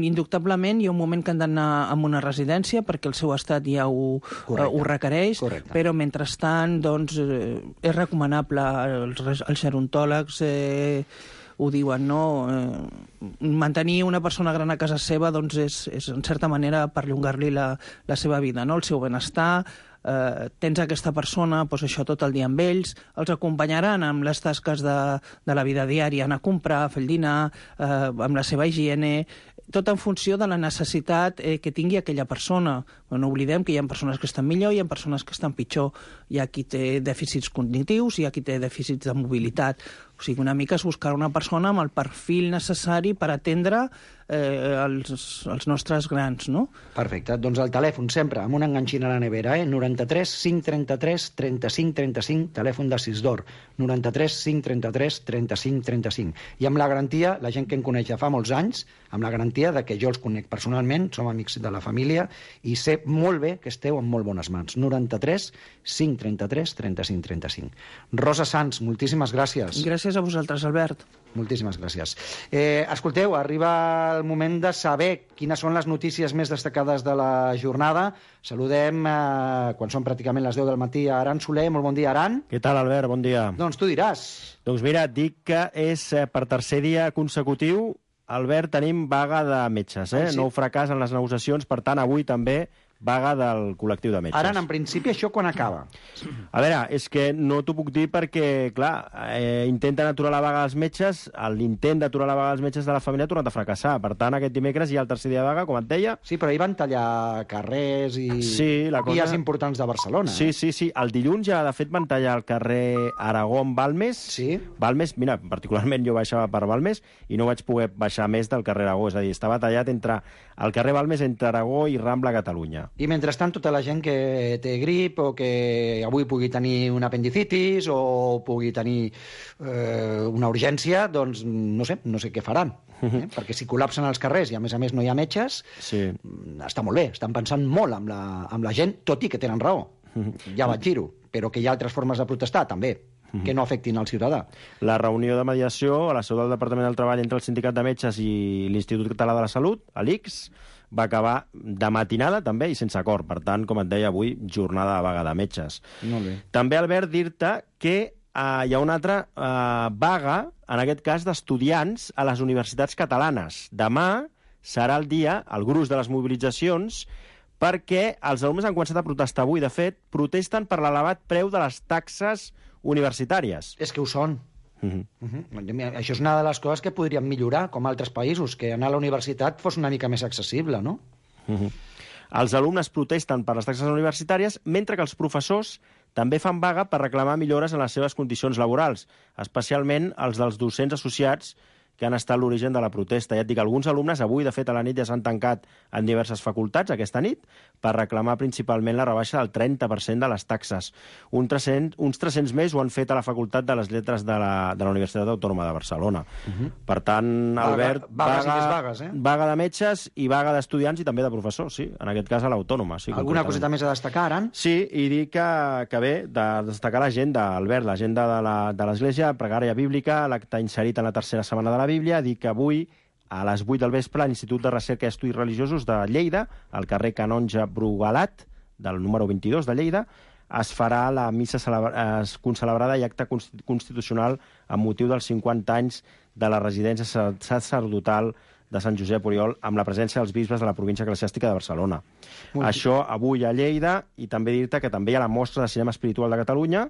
indubtablement hi ha un moment que han d'anar a una residència perquè el seu estat ja ho, eh, ho requereix, Correcte. però mentrestant doncs, eh, és recomanable, els, els gerontòlegs eh, ho diuen, no? Eh, mantenir una persona gran a casa seva doncs és, és en certa manera perllongar-li la, la seva vida, no? El seu benestar. Eh, tens aquesta persona, doncs això tot el dia amb ells, els acompanyaran amb les tasques de, de la vida diària, anar a comprar, fer el dinar, eh, amb la seva higiene, tot en funció de la necessitat eh, que tingui aquella persona. Però no oblidem que hi ha persones que estan millor i hi ha persones que estan pitjor. Hi ha qui té dèficits cognitius, hi ha qui té dèficits de mobilitat. O sigui, una mica és buscar una persona amb el perfil necessari per atendre eh, els, els nostres grans, no? Perfecte. Doncs el telèfon sempre, amb un enganxin a la nevera, eh? noranta-tres cinc trenta-tres trenta-cinc trenta-cinc, telèfon de Sisdor. noranta-tres cinc trenta-tres trenta-cinc trenta-cinc. I amb la garantia, la gent que em coneix ja fa molts anys, amb la garantia de que jo els conec personalment, som amics de la família, i sé molt bé que esteu en molt bones mans. noranta-tres cinc trenta-tres trenta-cinc trenta-cinc. Rosa Sans, moltíssimes gràcies. Gràcies a vosaltres, Albert. Moltíssimes gràcies. Eh, escolteu, arriba el moment de saber quines són les notícies més destacades de la jornada. Saludem, eh, quan són pràcticament les deu del matí, a Aran Soler. Molt bon dia, Aran. Què tal, Albert? Bon dia. Doncs tu diràs. Doncs mira, et dic que és eh, per tercer dia consecutiu, Albert, tenim vaga de metges, eh? Ah, sí? Nou fracàs en les negociacions, per tant, avui també vaga del col·lectiu de metges. Aran, en principi, això quan acaba? A veure, és que no t'ho puc dir perquè, clar, eh, intenten aturar la vaga dels metges, l'intent d'aturar la vaga dels metges de la família ha tornat a fracassar. Per tant, aquest dimecres hi ha el tercer dia de vaga, com et deia. Sí, però ahir van tallar carrers i sí, la cosa... vies importants de Barcelona. Sí, sí, sí. El dilluns ja, de fet, van tallar el carrer Aragó-Balmes. Sí. Balmes, mira, particularment jo baixava per Balmes i no vaig poder baixar més del carrer Aragó. És a dir, estava tallat entre el carrer Balmes, entre Aragó i Rambla Catalunya. I mentrestant, tota la gent que té grip o que avui pugui tenir un apendicitis o pugui tenir eh, una urgència, doncs no sé, no sé què faran. Eh? Perquè si col·lapsen els carrers i a més a més no hi ha metges, sí. Està molt bé, estan pensant molt amb la, amb la gent, tot i que tenen raó. Ja vaig dir-ho, però que hi ha altres formes de protestar, també, que no afectin al ciutadà. La reunió de mediació a la seu del Departament del Treball entre el Sindicat de Metges i l'Institut Català de la Salut, l'I C S, va acabar de matinada també i sense acord. Per tant, com et deia, avui jornada de vaga de metges. Molt bé. També, Albert, dir-te que eh, hi ha una altra eh, vaga, en aquest cas d'estudiants a les universitats catalanes. Demà serà el dia, el gruix de les mobilitzacions, perquè els alumnes han començat a protestar avui. De fet, protesten per l'elevat preu de les taxes universitàries. És que ho són. Uh-huh. Uh-huh. Això és una de les coses que podríem millorar, com altres països, que anar a la universitat fos una mica més accessible, no? Uh-huh. Els alumnes protesten per les taxes universitàries, mentre que els professors també fan vaga per reclamar millores en les seves condicions laborals, especialment els dels docents associats que han estat l'origen de la protesta. Ja et dic, alguns alumnes avui, de fet, a la nit ja s'han tancat en diverses facultats aquesta nit per reclamar principalment la rebaixa del trenta per cent de les taxes. Un tres-cents, uns tres-cents més ho han fet a la Facultat de les Lletres de la, de la Universitat Autònoma de Barcelona. Uh-huh. Per tant, Albert, vaga, vaga, vaga, vagues, eh? vaga de metges i vaga d'estudiants i també de professors, sí, en aquest cas a l'Autònoma. Sí, alguna coseta més a destacar, Aran? Sí, i dir que, que bé, de destacar l'agenda, Albert, l'agenda de l'Església, pregària bíblica, l'acte inserit en la tercera setmana de la Bíblia, dir que avui, a les vuit del vespre, a l'Institut de Recerca i Estudis Religiosos de Lleida, al carrer Canonge Brugalat, del número vint-i-dos de Lleida, es farà la missa celebra... concelebrada i acte constitucional amb motiu dels cinquanta anys de la residència sacerdotal de Sant Josep Oriol, amb la presència dels bisbes de la província eclesiàstica de Barcelona. Molt Això avui a Lleida, i també dir-te que també hi ha la mostra de cinema espiritual de Catalunya,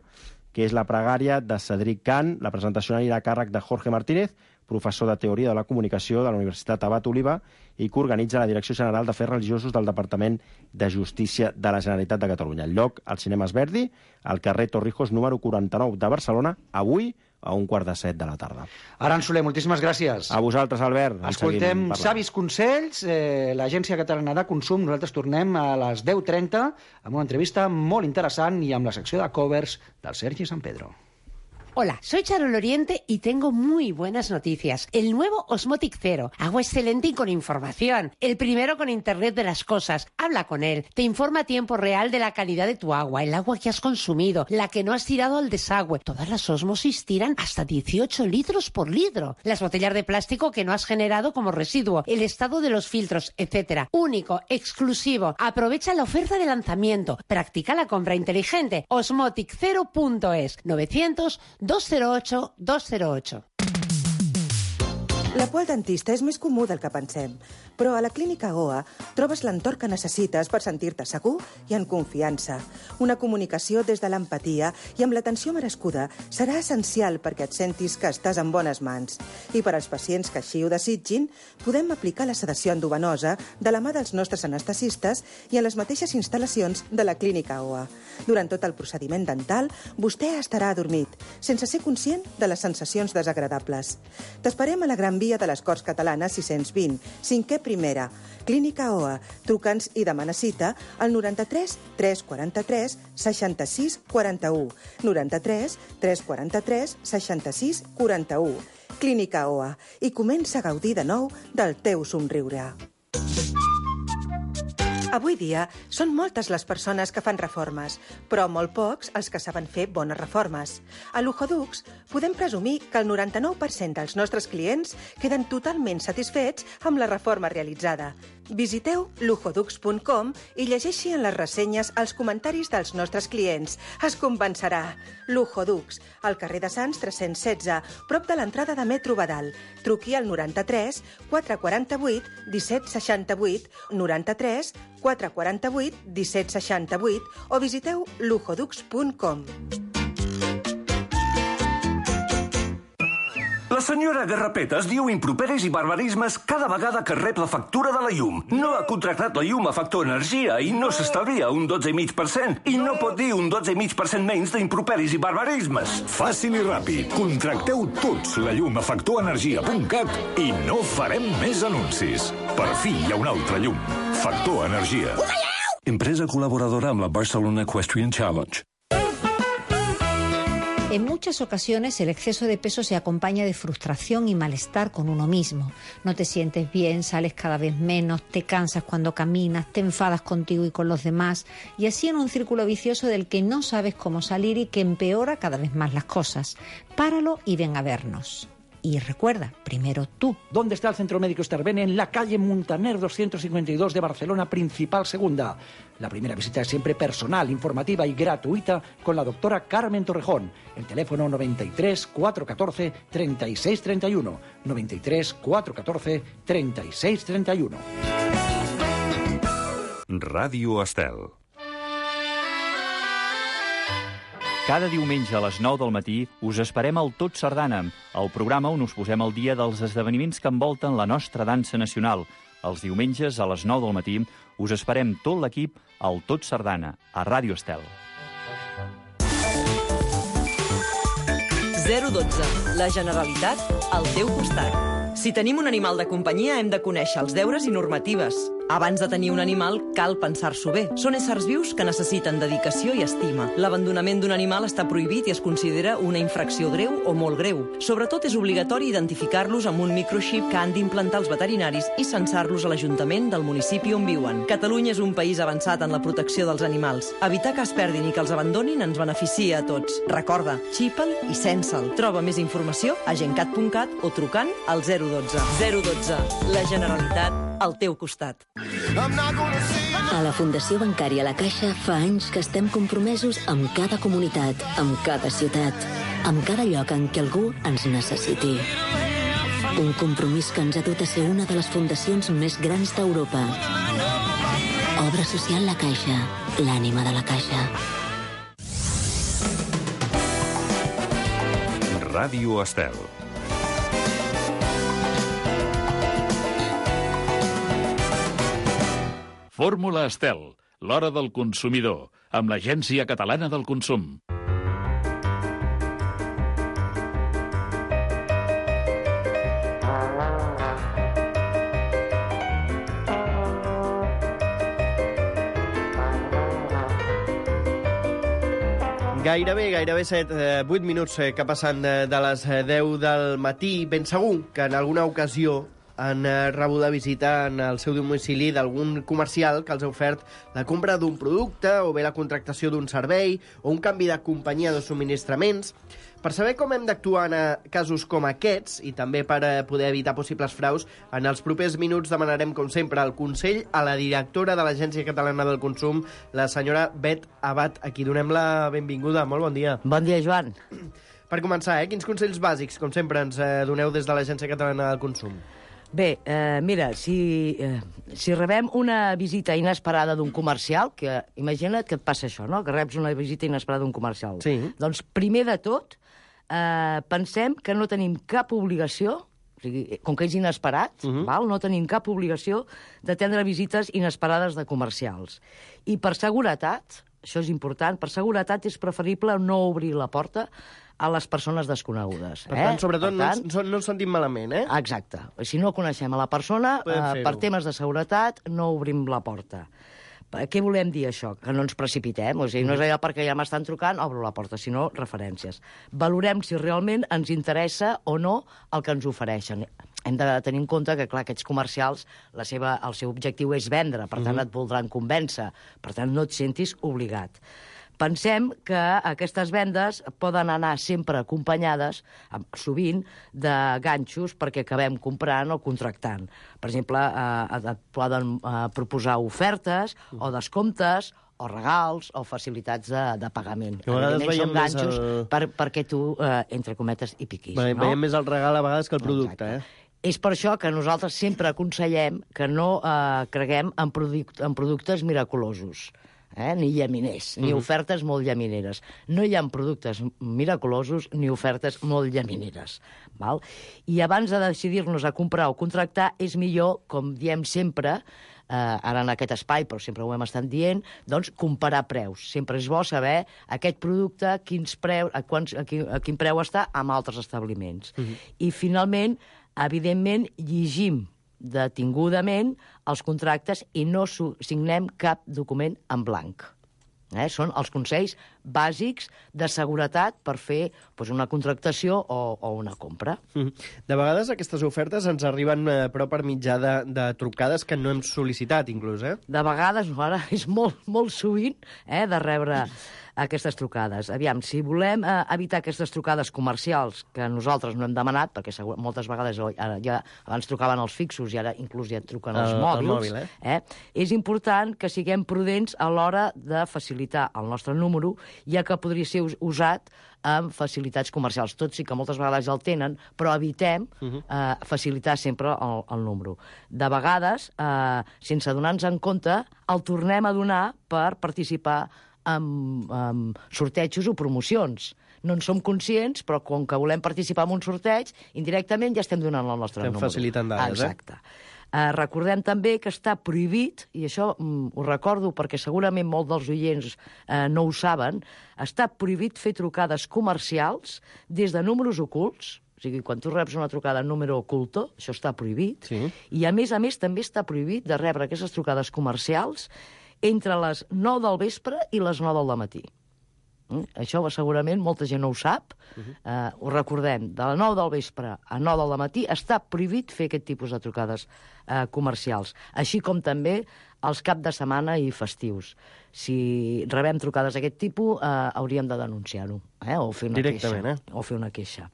que és la pregària de Cedric Can, la presentació anirà a càrrec de Jorge Martínez, professor de Teoria de la Comunicació de la Universitat Abat Oliva i que organitza la Direcció General d'Afers Religiosos del Departament de Justícia de la Generalitat de Catalunya. El lloc, al Cinemes Verdi, al carrer Torrijos número quaranta-nou de Barcelona, avui a un quart de set de la tarda. Aran Soler, moltíssimes gràcies. A vosaltres, Albert. Escoltem savis consells, eh, l'Agència Catalana de Consum. Nosaltres tornem a les deu trenta amb una entrevista molt interessant i amb la secció de covers del Sergi San Pedro. Hola, soy Charo Loriente y tengo muy buenas noticias. El nuevo Osmotic Zero, agua excelente y con información. El primero con Internet de las cosas. Habla con él, te informa a tiempo real de la calidad de tu agua, el agua que has consumido, la que no has tirado al desagüe. Todas las osmosis tiran hasta dieciocho litros por litro. Las botellas de plástico que no has generado como residuo, el estado de los filtros, etcétera. Único, exclusivo. Aprovecha la oferta de lanzamiento. Practica la compra inteligente. osmotic zero punto es novecientos dos cero ocho dos cero ocho. La por al dentista és més comú del que pensem. Però a la Clínica O A trobes l'entorn que necessites per sentir-te segur i en confiança. Una comunicació des de l'empatia i amb l'atenció merescuda serà essencial perquè et sentis que estàs en bones mans. I per als pacients que així ho desitgin, podem aplicar la sedació endovenosa de la mà dels nostres anestesistes i en les mateixes instal·lacions de la Clínica O A. Durant tot el procediment dental, vostè estarà adormit, sense ser conscient de les sensacions desagradables. T'esperem a la Gran Via de les Corts Catalanes sis-cents vint, cinquè primera, Clínica O A. Truca'ns i demana cita al noranta-tres tres quaranta-tres seixanta-sis quaranta-u. noranta-tres tres quaranta-tres seixanta-sis quaranta-u. Clínica O A. I comença a gaudir de nou del teu somriure. Avui dia són moltes les persones que fan reformes, però molt pocs els que saben fer bones reformes. A Luxodux podem presumir que el noranta-nou per cent dels nostres clients queden totalment satisfets amb la reforma realitzada. Visiteu luxodux punt com i llegeixi en les ressenyes els comentaris dels nostres clients. Es convencerà. Luxodux, al carrer de Sants tres-cents setze, prop de l'entrada de Metro Badal. Truqui al noranta-tres quatre quaranta-vuit disset seixanta-vuit, noranta-tres quatre quaranta-vuit disset seixanta-vuit o visiteu luxodux punt com. La senyora Garrapetes diu improperis i barbarismes cada vegada que rep la factura de la llum. No ha contractat la llum a Factor Energia i no s'estalvia un dotze coma cinc per cent. I no pot dir un dotze coma cinc per cent menys d'improperis i barbarismes. Fàcil i ràpid. Contracteu tots la llum a factor energia punt cat i no farem més anuncis. Per fi hi ha una altra llum. Factor Energia. Empresa colaboradora amb la Barcelona Equestrian Challenge. En muchas ocasiones el exceso de peso se acompaña de frustración y malestar con uno mismo. No te sientes bien, sales cada vez menos, te cansas cuando caminas, te enfadas contigo y con los demás, y así en un círculo vicioso del que no sabes cómo salir y que empeora cada vez más las cosas. Páralo y ven a vernos. Y recuerda, primero tú. ¿Dónde está el Centro Médico Esterben? En la calle Muntaner doscientos cincuenta y dos de Barcelona, Principal Segunda. La primera visita es siempre personal, informativa y gratuita con la doctora Carmen Torrejón. El teléfono noventa y tres cuatrocientos catorce treinta y seis treinta y uno. noventa y tres cuatrocientos catorce treinta y seis treinta y uno. Ràdio Estel. Cada diumenge a les nou del matí us esperem al Tot Sardana, el programa on us posem al dia dels esdeveniments que envolten la nostra dansa nacional. Els diumenges a les nou del matí us esperem tot l'equip al Tot Sardana, a Ràdio Estel. zero dotze. La Generalitat al teu costat. Si tenim un animal de companyia hem de conèixer els deures i normatives. Abans de tenir un animal, cal pensar-s'ho bé. Són éssers vius que necessiten dedicació i estima. L'abandonament d'un animal està prohibit i es considera una infracció greu o molt greu. Sobretot és obligatori identificar-los amb un microxip que han d'implantar els veterinaris i censar-los a l'Ajuntament del municipi on viuen. Catalunya és un país avançat en la protecció dels animals. Evitar que es perdin i que els abandonin ens beneficia a tots. Recorda, xipa'l i censa'l. Troba més informació a gencat punt cat o trucant al zero dotze. zero dotze. La Generalitat al teu costat. A la Fundació Bancària La Caixa fa anys que estem compromesos amb cada comunitat, amb cada ciutat, amb cada lloc en què algú ens necessiti. Un compromís que ens ha dut a ser una de les fundacions més grans d'Europa. Obra social La Caixa, l'ànima de la Caixa. Ràdio Estel. Fórmula Estel, l'hora del consumidor, amb l'Agència Catalana del Consum. Gairebé, gairebé set, vuit minuts que passen de les deu del matí. Ben segur que en alguna ocasió han rebut la visita en el seu domicili d'algun comercial que els ha ofert la compra d'un producte o bé la contractació d'un servei o un canvi de companyia de subministraments. Per saber com hem d'actuar en casos com aquests i també per poder evitar possibles fraus, en els propers minuts demanarem, com sempre, el consell a la directora de l'Agència Catalana del Consum, la senyora Bet Abad, a qui donem la benvinguda. Molt bon dia. Bon dia, Joan. Per començar, eh, quins consells bàsics, com sempre, ens doneu des de l'Agència Catalana del Consum? Bé, eh, mira, si, eh, si rebem una visita inesperada d'un comercial, que imagina't que et passa això, no?, que reps una visita inesperada d'un comercial. Sí. Doncs, primer de tot, eh, pensem que no tenim cap obligació, o sigui, com que és inesperat, uh-huh. val? No tenim cap obligació d'atendre visites inesperades de comercials. I per seguretat, això és important, per seguretat és preferible no obrir la porta a les persones desconegudes. Per eh? tant, sobretot, per tant, no, no ens sentim malament, eh? Exacte. Si no coneixem a la persona, eh, per temes de seguretat, no obrim la porta. Què volem dir, això? Que no ens precipitem. O sigui, no és allò perquè ja m'estan trucant, obro la porta, sinó referències. Valorem si realment ens interessa o no el que ens ofereixen. Hem de tenir en compte que, clar, aquests comercials, la seva, el seu objectiu és vendre, per tant, uh-huh. et voldran convèncer. Per tant, no et sentis obligat. Pensem que aquestes vendes poden anar sempre acompanyades, sovint, de ganxos perquè acabem comprant o contractant. Per exemple, eh, et poden eh, proposar ofertes o descomptes o regals o facilitats de, de pagament. Que a vegades veiem són ganxos el... per, perquè tu, eh, entre cometes, hi piquis. Ve, no? Veiem més el regal a vegades que el producte, Exacte. eh? És per això que nosaltres sempre aconsellem que no eh, creguem en, product, en productes miraculosos. Eh? Ni llaminers, ni uh-huh. ofertes molt llamineres. No hi ha productes miraculosos ni ofertes molt llamineres. Val? I abans de decidir-nos a comprar o contractar, és millor, com diem sempre, eh, ara en aquest espai, però sempre ho hem estat dient, doncs comparar preus. Sempre és bo saber aquest producte, quins preus, a, quants, a, quin, a quin preu està amb altres establiments. Uh-huh. I, finalment, evidentment, llegim detingudament els contractes i no signem cap document en blanc. Eh? Són els consells bàsics de seguretat per fer doncs, una contractació o, o una compra. De vegades aquestes ofertes ens arriben eh, però per mitjà de, de trucades que no hem sol·licitat, inclús, eh? De vegades, ara és molt, molt sovint eh, de rebre aquestes trucades. Aviam, si volem eh, evitar aquestes trucades comercials que nosaltres no hem demanat, perquè segur, moltes vegades ara, ja, abans trucaven els fixos i ara inclús ja truquen els el, mòbils, el mòbil, eh? Eh, és important que siguem prudents a l'hora de facilitar el nostre número, ja que podria ser usat amb facilitats comercials. Tot sí que moltes vegades el tenen, però evitem uh-huh. eh, facilitar sempre el, el número. De vegades, eh, sense donar-nos en compte, el tornem a donar per participar amb, amb sortejos o promocions. No en som conscients, però com que volem participar en un sorteig, indirectament ja estem donant el nostre estem número. Estem facilitant dades, Exacte. eh? Uh, recordem també que està prohibit, i això mm, ho recordo perquè segurament molts dels oients uh, no ho saben, està prohibit fer trucades comercials des de números ocults. O sigui, quan tu reps una trucada en número oculto, això està prohibit. Sí. I, a més a més, també està prohibit de rebre aquestes trucades comercials entre les nou del vespre i les nou del matí. Mm? Això segurament molta gent no ho sap. Uh-huh. Uh, ho recordem, de les nou del vespre a nou del matí està prohibit fer aquest tipus de trucades uh, comercials, així com també els cap de setmana i festius. Si rebem trucades d'aquest tipus, uh, hauríem de denunciar-ho, eh? o fer una Directament, queixa. Eh? O fer una queixa.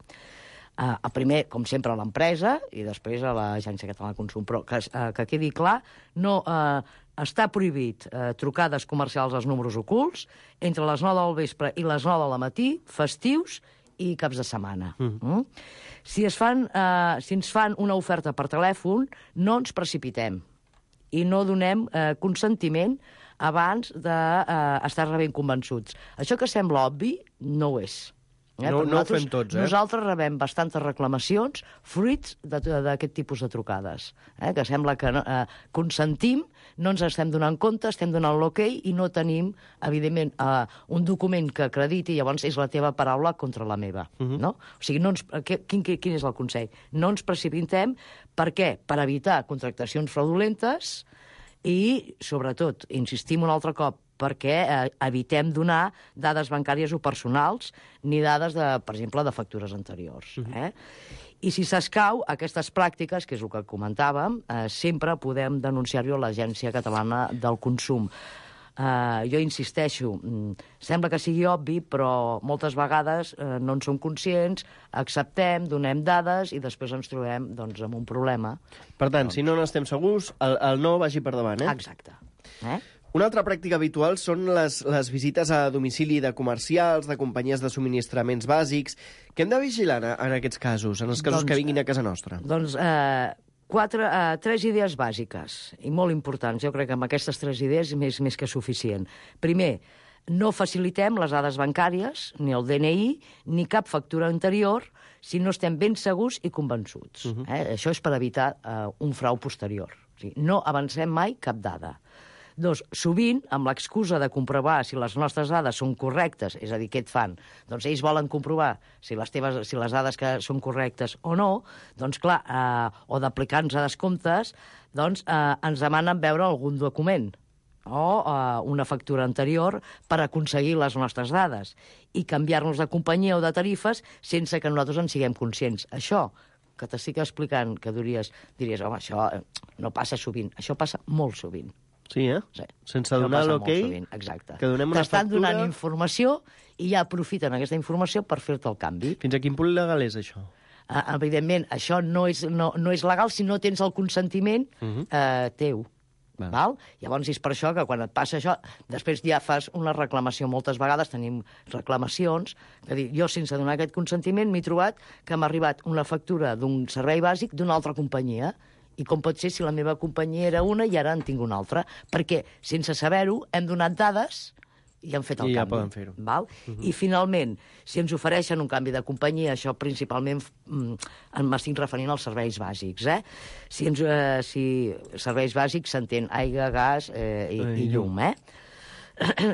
Uh, primer, com sempre, a l'empresa i després a l'Agència Catalana de Consum. Però que, uh, que quedi clar, no... Uh, està prohibit eh, trucades comercials als números ocults entre les nou del vespre i les nou del matí, festius i caps de setmana. Mm. Mm? Si, es fan, eh, si ens fan una oferta per telèfon, no ens precipitem i no donem eh, consentiment abans d'estar eh, rebent convençuts. Això que sembla obvi, no ho és. Eh? No, no ho fem tots, eh? Nosaltres rebem bastantes reclamacions fruits d'aquest tipus de trucades. Eh? Que sembla que eh, consentim, no ens estem donant compte, estem donant l'ok i no tenim, evidentment, eh, un document que acrediti, llavors és la teva paraula contra la meva. Uh-huh. No? O sigui, no ens, quin, quin és el consell? No ens precipitem. Per què? Per evitar contractacions fraudulentes i, sobretot, insistim un altre cop, perquè eh, evitem donar dades bancàries o personals ni dades, de, per exemple, de factures anteriors. Uh-huh. eh? I si s'escau, aquestes pràctiques, que és el que comentàvem, eh, sempre podem denunciar-ho a l'Agència Catalana del Consum. Eh, jo insisteixo, sembla que sigui obvi, però moltes vegades eh, no en som conscients, acceptem, donem dades i després ens trobem doncs, amb un problema. Per tant, doncs... si no n'estem segurs, el, el no vagi per davant, eh? Exacte. Eh? Una altra pràctica habitual són les, les visites a domicili de comercials, de companyies de subministraments bàsics. Què hem de vigilar en, en aquests casos, en els casos doncs, que vinguin a casa nostra? Doncs, eh, Quatre, uh, tres idees bàsiques i molt importants. Jo crec que amb aquestes tres idees és més, més que suficient. Primer, no facilitem les dades bancàries, ni el D N I, ni cap factura anterior, si no estem ben segurs i convençuts. Uh-huh. eh? Això és per evitar uh, un frau posterior. O sigui, no avancem mai cap dada. Dos, sovint, amb l'excusa de comprovar si les nostres dades són correctes, és a dir, què et fan? Doncs ells volen comprovar si les, teves, si les dades que són correctes o no, doncs clar, eh, o d'aplicar-nos a descomptes, doncs eh, ens demanen veure algun document o eh, una factura anterior per aconseguir les nostres dades i canviar-nos de companyia o de tarifes sense que nosaltres en siguem conscients. Això que t'estic explicant, que diries, diries, home, això no passa sovint. Això passa molt sovint. Sí, eh? Sí. Sense donar l'ok, exacte. que donem una T'estan factura... donant informació i ja aprofiten aquesta informació per fer-te el canvi. Fins a quin punt legal és això? Uh, evidentment, això no és, no, no és legal si no tens el consentiment uh-huh. uh, teu. Val. Val? Llavors és per això que quan et passa això, després ja fas una reclamació. Moltes vegades tenim reclamacions que dir, jo sense donar aquest consentiment m'he trobat que m'ha arribat una factura d'un servei bàsic d'una altra companyia. I com pot ser si la meva companyia era una i ara en tinc una altra? Perquè, sense saber-ho, hem donat dades i hem fet el I canvi. ja poden fer-ho. Val? Uh-huh. I, finalment, si ens ofereixen un canvi de companyia, això principalment mm, m'estic referint als serveis bàsics, eh? Si, ens, eh, si serveis bàsics s'entén aigua, gas eh, i, i llum, eh?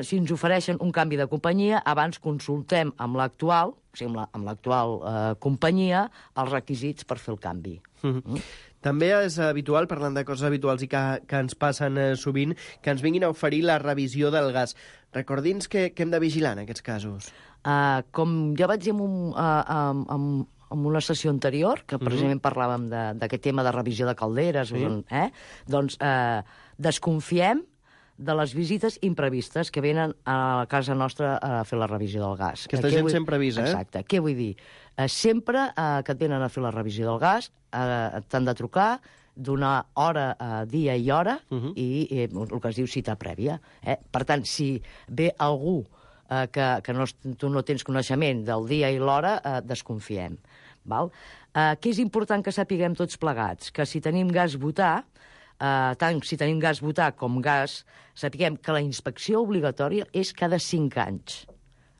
Si ens ofereixen un canvi de companyia, abans consultem amb l'actual, o sigui, amb l'actual eh, companyia, els requisits per fer el canvi. Uh-huh. Mm? També és habitual, parlant de coses habituals i que, que ens passen eh, sovint, que ens vinguin a oferir la revisió del gas. Recordi'ns que, que hem de vigilar en aquests casos. Uh, com ja vaig dir en, un, uh, en, en, en una sessió anterior, que precisament uh-huh. parlàvem d'aquest tema de revisió de calderes, sí. eh? doncs uh, desconfiem de les visites imprevistes que venen a casa nostra a fer la revisió del gas. Aquesta gent vull... sempre avisa, eh? Exacte. Què vull dir? Eh, sempre eh, que et venen a fer la revisió del gas eh, t'han de trucar, donar hora, eh, dia i hora, uh-huh. i eh, el que es diu cita prèvia. Eh? Per tant, si ve algú eh, que, que no, tu no tens coneixement del dia i l'hora, eh, desconfiem. Val? Eh, què és important que sapiguem tots plegats? Que si tenim gas butà, Uh, tant si tenim gas butà com gas, sapiguem que la inspecció obligatòria és cada cinc anys.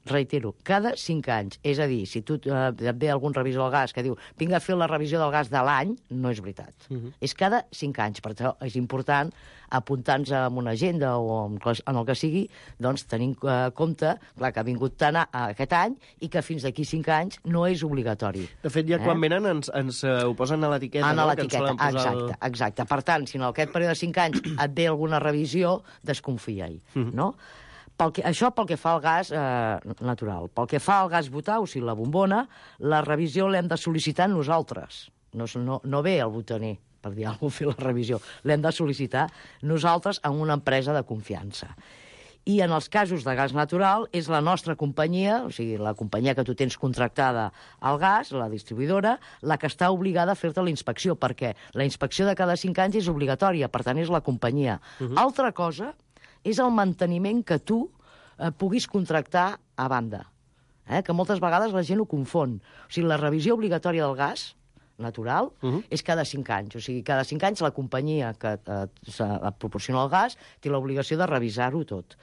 Reitero, cada cinc anys. És a dir, si tu uh, et ve algun revisor del gas que diu vinga a fer la revisió del gas de l'any, no és veritat. Uh-huh. És cada cinc anys. Per això és important apuntar-nos en una agenda o en, en el que sigui, doncs tenint uh, compte clar, que ha vingut tant a, a aquest any i que fins d'aquí cinc anys no és obligatori. De fet, ja eh? quan venen ens, ens uh, ho posen a l'etiqueta, no? A l'etiqueta, exacte, el... exacte. Per tant, si en aquest període de cinc anys et ve alguna revisió, desconfia-hi, uh-huh. no? Pel que, això pel que fa al gas eh, natural. Pel que fa al gas butà, o sigui, la bombona, la revisió l'hem de sol·licitar nosaltres. No, no, no ve el botaner, per dir alguna cosa, fer la revisió. L'hem de sol·licitar nosaltres en una empresa de confiança. I en els casos de gas natural és la nostra companyia, o sigui, la companyia que tu tens contractada al gas, la distribuïdora, la que està obligada a fer-te la inspecció, perquè la inspecció de cada cinc anys és obligatòria, per tant és la companyia. Uh-huh. Altra cosa és el manteniment que tu eh, puguis contractar a banda, eh? Que moltes vegades la gent ho confon. O sigui, la revisió obligatòria del gas natural uh-huh. és cada cinc anys. O sigui, cada cinc anys la companyia que eh, et proporciona el gas té l'obligació de revisar-ho tot.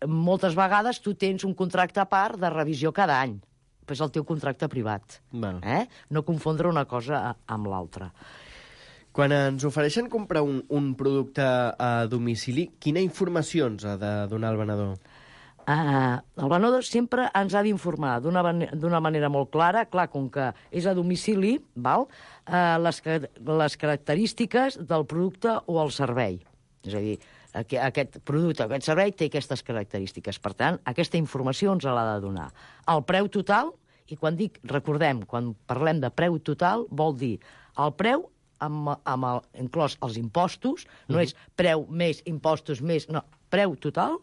Moltes vegades tu tens un contracte a part de revisió cada any, però és el teu contracte privat. Bueno. Eh? No confondre una cosa amb l'altra. Quan ens ofereixen comprar un, un producte a domicili, quina informació ens ha de donar el venedor? Uh, el venedor sempre ens ha d'informar d'una d'una manera molt clara, clar, com que és a domicili, val? Uh, les, les característiques del producte o el servei. És a dir, aquest producte, aquest servei té aquestes característiques. Per tant, aquesta informació ens l'ha de donar. El preu total, i quan dic, recordem, quan parlem de preu total, vol dir el preu amb, amb el, inclòs els impostos, no és preu més, impostos més, no, preu total,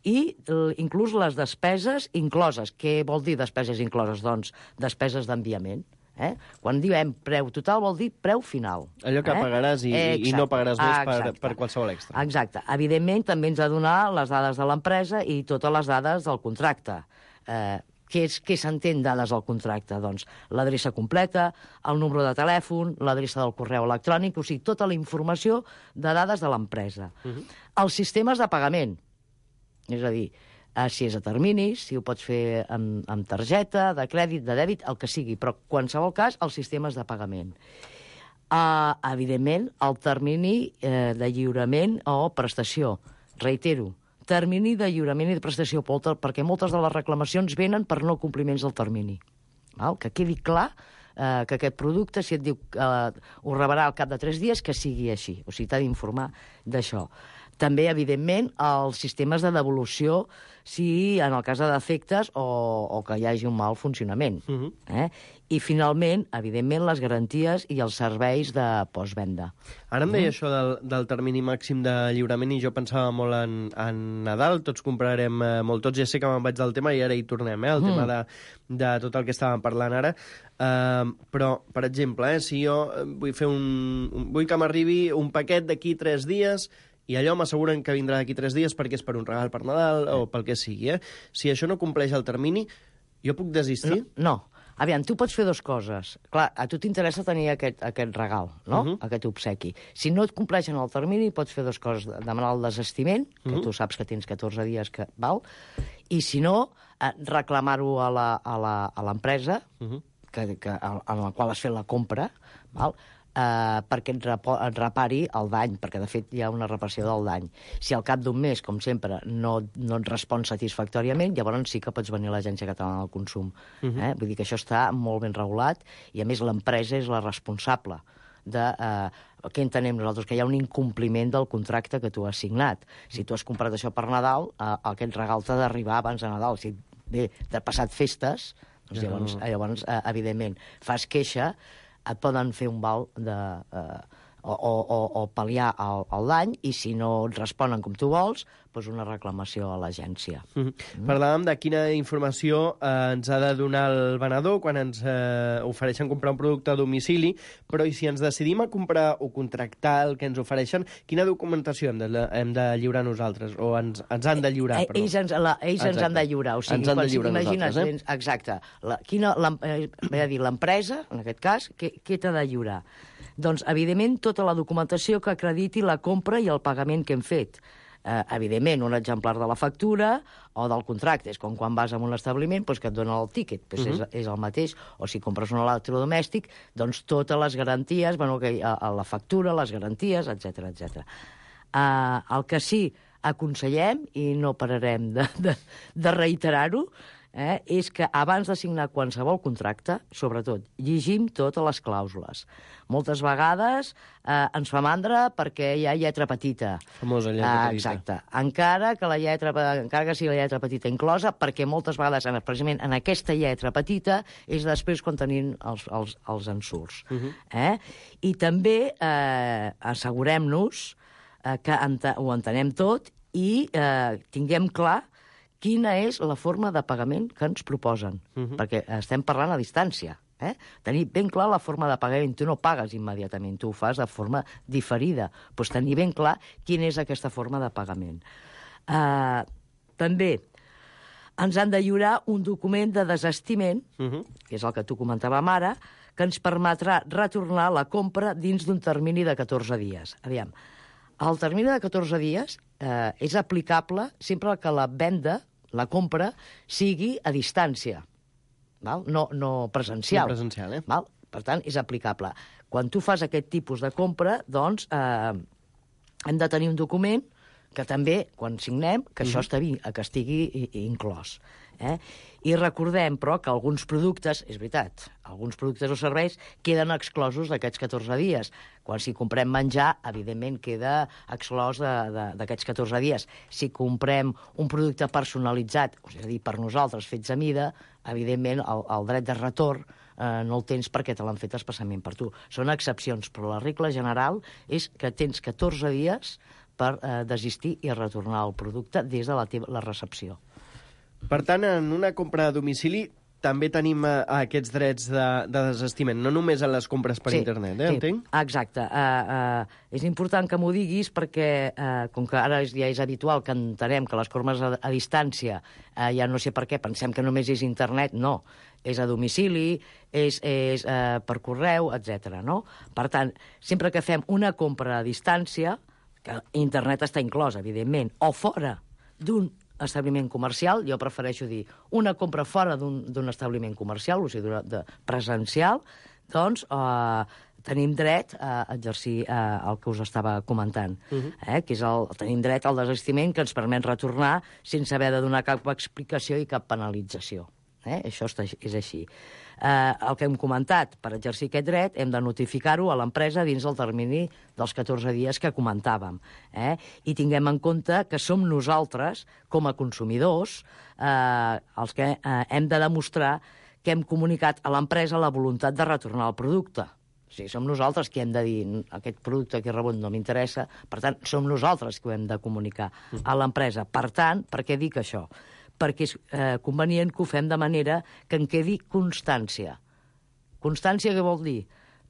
i inclús les despeses incloses. Què vol dir despeses incloses? Doncs despeses d'enviament. Eh? Quan diem preu total vol dir preu final. Allò que eh? pagaràs i, i no pagaràs més per, per qualsevol extra. Exacte. Evidentment, també ens ha de donar les dades de l'empresa i totes les dades del contracte. Eh, què és què s'entén dades al contracte? Doncs l'adreça completa, el número de telèfon, l'adreça del correu electrònic, o sigui, tota la informació de dades de l'empresa. Mhm. Els sistemes de pagament, és a dir, eh, si és a terminis, si ho pots fer amb, amb targeta, de crèdit, de dèbit, el que sigui, però en qualsevol cas, els sistemes de pagament. Uh, evidentment, el termini eh, de lliurament o prestació. Reitero, termini de lliurament i de prestació, perquè moltes de les reclamacions venen per no compliments del termini. Val? Que quedi clar eh, que aquest producte, si et diu eh, ho rebrà al cap de tres dies, que sigui així. O sigui, t'ha d'informar d'això. També, evidentment, els sistemes de devolució, si en el cas de defectes o, o que hi hagi un mal funcionament. Uh-huh. eh? I, finalment, evidentment, les garanties i els serveis de postvenda. Ara em deia uh-huh. això del, del termini màxim de lliurament i jo pensava molt en, en Nadal, tots comprarem eh, molt, tots ja sé que me'n vaig del tema i ara hi tornem, eh, el uh-huh. tema de, de tot el que estàvem parlant ara. Uh, però, per exemple, eh, si jo vull fer un, un vull que m'arribi un paquet d'aquí tres dies i allò m'asseguren que vindrà d'aquí tres dies perquè és per un regal per Nadal o pel que sigui, eh? Si això no compleix el termini, jo puc desistir? No, no. Aviam, tu pots fer dues coses. Clar, a tu t'interessa tenir aquest, aquest regal, no? Uh-huh. Aquest obsequi. Si no et compleixen el termini, pots fer dues coses. Demanar el desestiment, que uh-huh. tu saps que tens catorze dies, que val, i si no, eh, reclamar-ho a la, a la, a l'empresa, uh-huh. que, que, en la qual has fet la compra, val? Uh, perquè et, repo, et repari el dany, perquè de fet hi ha una reparació del dany. Si al cap d'un mes, com sempre, no, no et respon satisfactòriament, llavors sí que pots venir a l'Agència Catalana del Consum. Uh-huh. eh? Vull dir que això està molt ben regulat i, a més, l'empresa és la responsable de... Uh, què entenem nosaltres? Que hi ha un incompliment del contracte que tu has signat. Si tu has comprat això per Nadal, uh, aquest regal t'ha d'arribar abans de Nadal. Si bé, t'ha passat festes, doncs ja llavors, no. llavors uh, evidentment, fas queixa, et poden fer un val de, eh, o, o, o pal·liar el, el dany, i si no et responen com tu vols, doncs una reclamació a l'agència. Mm-hmm. Mm. Parlàvem de quina informació eh, ens ha de donar el venedor quan ens eh, ofereixen comprar un producte a domicili, però i si ens decidim a comprar o contractar el que ens ofereixen, quina documentació hem de, hem de lliurar nosaltres? O ens, ens han de lliurar, eh, perdó. Ells, ens, la, ells ens han de lliurar. O sigui, ens han de lliurar imagines, nosaltres, eh? Exacte. La, quina, la, eh, dir, l'empresa, en aquest cas, què, què t'ha de lliurar? Doncs, evidentment, tota la documentació que acrediti la compra i el pagament que hem fet. Eh, evidentment, un exemplar de la factura o del contracte. És com quan vas a un establiment doncs, que et dona el tíquet, doncs uh-huh. és, és el mateix. O si compres un electrodomèstic, doncs totes les garanties, bueno, que, a, a la factura, les garanties, etcètera, etcètera. Eh, el que sí aconsellem, i no pararem de, de, de reiterar-ho, Eh, és que abans de signar qualsevol contracte, sobretot, llegim totes les clàusules. Moltes vegades eh, ens fa mandra perquè hi ha lletra petita. Famosa lletra eh, petita. Exacte. Encara que, la lletra, encara que sigui la lletra petita inclosa, perquè moltes vegades, precisament en aquesta lletra petita, és després quan tenim els, els, els ensurts. Uh-huh. eh? I també eh, assegurem-nos eh, que ent ho entenem tot i eh, tinguem clar quina és la forma de pagament que ens proposen. Uh-huh. Perquè estem parlant a distància. Eh? Tenir ben clar la forma de pagament. Tu no pagues immediatament, tu ho fas de forma diferida. Doncs tenir ben clar quina és aquesta forma de pagament. Uh, també ens han de lliurar un document de desestiment, uh-huh. que és el que tu comentàvem ara, que ens permetrà retornar la compra dins d'un termini de catorze dies. Aviam, el termini de catorze dies eh, és aplicable sempre que la venda, la compra, sigui a distància, val? No, no presencial. No presencial, eh? Val? Per tant, és aplicable. Quan tu fas aquest tipus de compra, doncs, eh, hem de tenir un document que també, quan signem, que això estigui, que estigui inclòs. Eh? I recordem, però, que alguns productes, és veritat, alguns productes o serveis queden exclosos d'aquests catorze dies. Quan si comprem menjar, evidentment queda exclòs d'aquests catorze dies. Si comprem un producte personalitzat, és a dir, per nosaltres, fets a mida, evidentment el, el dret de retorn eh, no el tens perquè te l'han fet especialment per tu. Són excepcions, però la regla general és que tens catorze dies per eh, desistir i retornar el producte des de la, teva, la recepció. Per tant, en una compra a domicili, també tenim uh, aquests drets de, de desestiment, no només en les compres per sí, internet, eh? Sí, Entenc? exacte. Uh, uh, és important que m'ho diguis perquè, uh, com que ara és, ja és habitual que entenem que les compres a, a distància, uh, ja no sé per què, pensem que només és internet, no. És a domicili, és, és uh, per correu, etcètera. No? Per tant, sempre que fem una compra a distància, que internet està inclòs, evidentment, o fora d'un establiment comercial, jo prefereixo dir una compra fora d'un establiment comercial, o sigui, de presencial, doncs eh, tenim dret a exercir eh, el que us estava comentant, uh-huh. eh, que és el, tenim dret al desistiment que ens permet retornar sense haver de donar cap explicació i cap penalització. Eh? Això està, és així. Eh, el que hem comentat, per exercir aquest dret, hem de notificar-ho a l'empresa dins del termini dels catorze dies que comentàvem. Eh? I tinguem en compte que som nosaltres, com a consumidors, eh, els que eh, hem de demostrar que hem comunicat a l'empresa la voluntat de retornar el producte. O sigui, som nosaltres qui hem de dir aquest producte que he rebut no m'interessa, per tant, som nosaltres qui ho hem de comunicar a l'empresa. Per tant, per què dic això? Perquè és eh, convenient que ho fem de manera que en quedi constància. Constància què vol dir?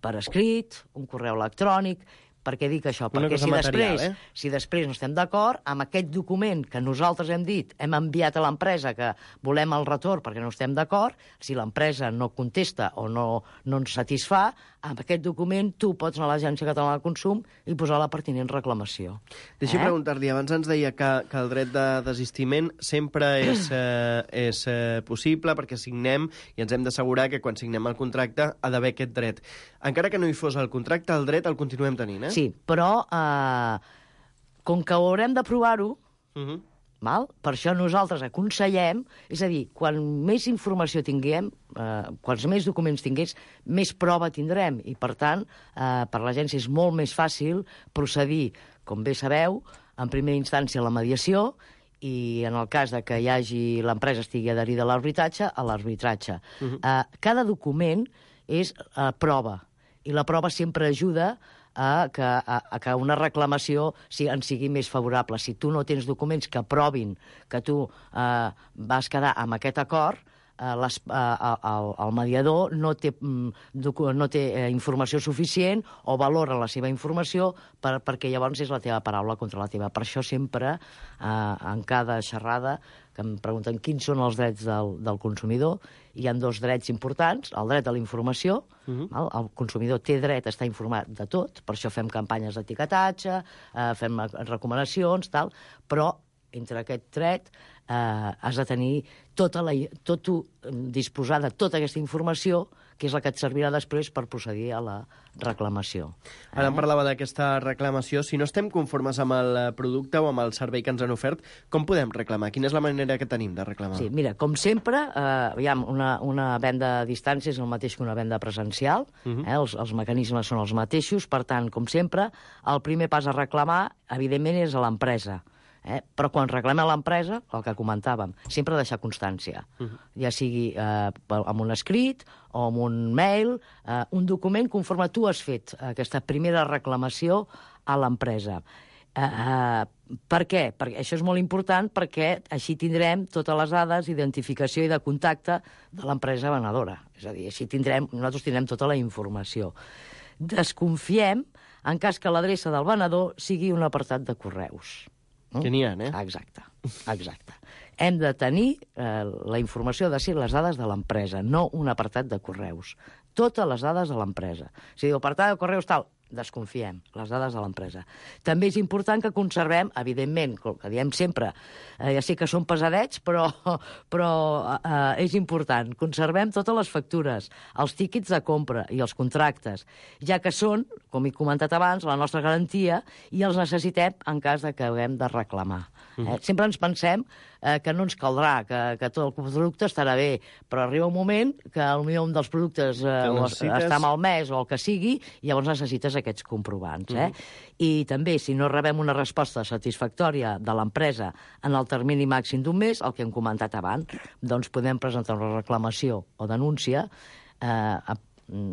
Per escrit, un correu electrònic. Per què dic això? Una Perquè si material, després, eh? si després no estem d'acord, amb aquest document que nosaltres hem dit, hem enviat a l'empresa que volem el retorn perquè no estem d'acord, si l'empresa no contesta o no, no ens satisfà, amb aquest document tu pots anar a l'Agència Catalana del Consum i posar la pertinent reclamació. Deixa eh? preguntar-li, abans ens deia que, que el dret de desistiment sempre és, eh, és eh, possible perquè signem i ens hem d'assegurar que quan signem el contracte ha d'haver aquest dret. Encara que no hi fos el contracte, el dret el continuem tenint, eh? Sí, però eh, com que haurem de provar-ho, uh-huh. val? Per això nosaltres aconsellem, és a dir, quan més informació tinguem, eh, quants més documents tingués, més prova tindrem. I, per tant, eh, per l'agència és molt més fàcil procedir, com bé sabeu, en primera instància a la mediació i, en el cas de que hi hagi l'empresa estigui adherida a l'arbitratge, a l'arbitratge. Uh-huh. eh, cada document és eh, prova, i la prova sempre ajuda a que, a, a que una reclamació si, en sigui més favorable. Si tu no tens documents que provin que tu eh, vas quedar amb aquest acord, eh, les, eh, el, el mediador no té, no té eh, informació suficient o valora la seva informació per, perquè llavors és la teva paraula contra la teva. Per això sempre, eh, en cada xerrada, que em pregunten quins són els drets del, del consumidor, hi ha dos drets importants, el dret a la informació, uh-huh. el, el consumidor té dret a estar informat de tot, per això fem campanyes d'etiquetatge, eh, fem recomanacions, tal, però entre aquest dret eh, has de tenir tota la, tot, disposar de tota aquesta informació que és la que et servirà després per procedir a la reclamació. Ara em parlava d'aquesta reclamació. Si no estem conformes amb el producte o amb el servei que ens han ofert, com podem reclamar? Quina és la manera que tenim de reclamar? Sí, mira, com sempre, eh, aviam, una, una venda a distància és el mateix que una venda presencial, uh-huh. eh, els, els mecanismes són els mateixos, per tant, com sempre, el primer pas a reclamar, evidentment, és a l'empresa. Eh? Però quan reclamem a l'empresa, el que comentàvem, sempre deixar constància. Uh-huh. Ja sigui eh, amb un escrit o amb un mail, eh, un document conforme tu has fet aquesta primera reclamació a l'empresa. Eh, eh, per què? Perquè això és molt important perquè així tindrem totes les dades d'identificació i de contacte de l'empresa venedora. És a dir, així tindrem, nosaltres tindrem tota la informació. Desconfiem en cas que l'adreça del venedor sigui un apartat de correus. Que n'hi ha, eh? Exacte, exacte. Hem de tenir, eh, la informació de ser les dades de l'empresa, no un apartat de correus. Totes les dades de l'empresa. Si diu apartat de correus tal, desconfiem, les dades de l'empresa. També és important que conservem, evidentment, com que diem sempre, eh, ja sé que són pesadets, però, però eh, és important, conservem totes les factures, els tíquets de compra i els contractes, ja que són, com he comentat abans, la nostra garantia i els necessitem en cas de que haguem de reclamar. Eh? Sempre ens pensem eh, que no ens caldrà, que, que tot el producte estarà bé, però arriba un moment que potser un dels productes eh, necessites... està malmès o el que sigui, i llavors necessites aquests comprovants. Eh? Uh-huh. I també, si no rebem una resposta satisfactòria de l'empresa en el termini màxim d'un mes, el que hem comentat abans, doncs podem presentar una reclamació o denúncia. eh,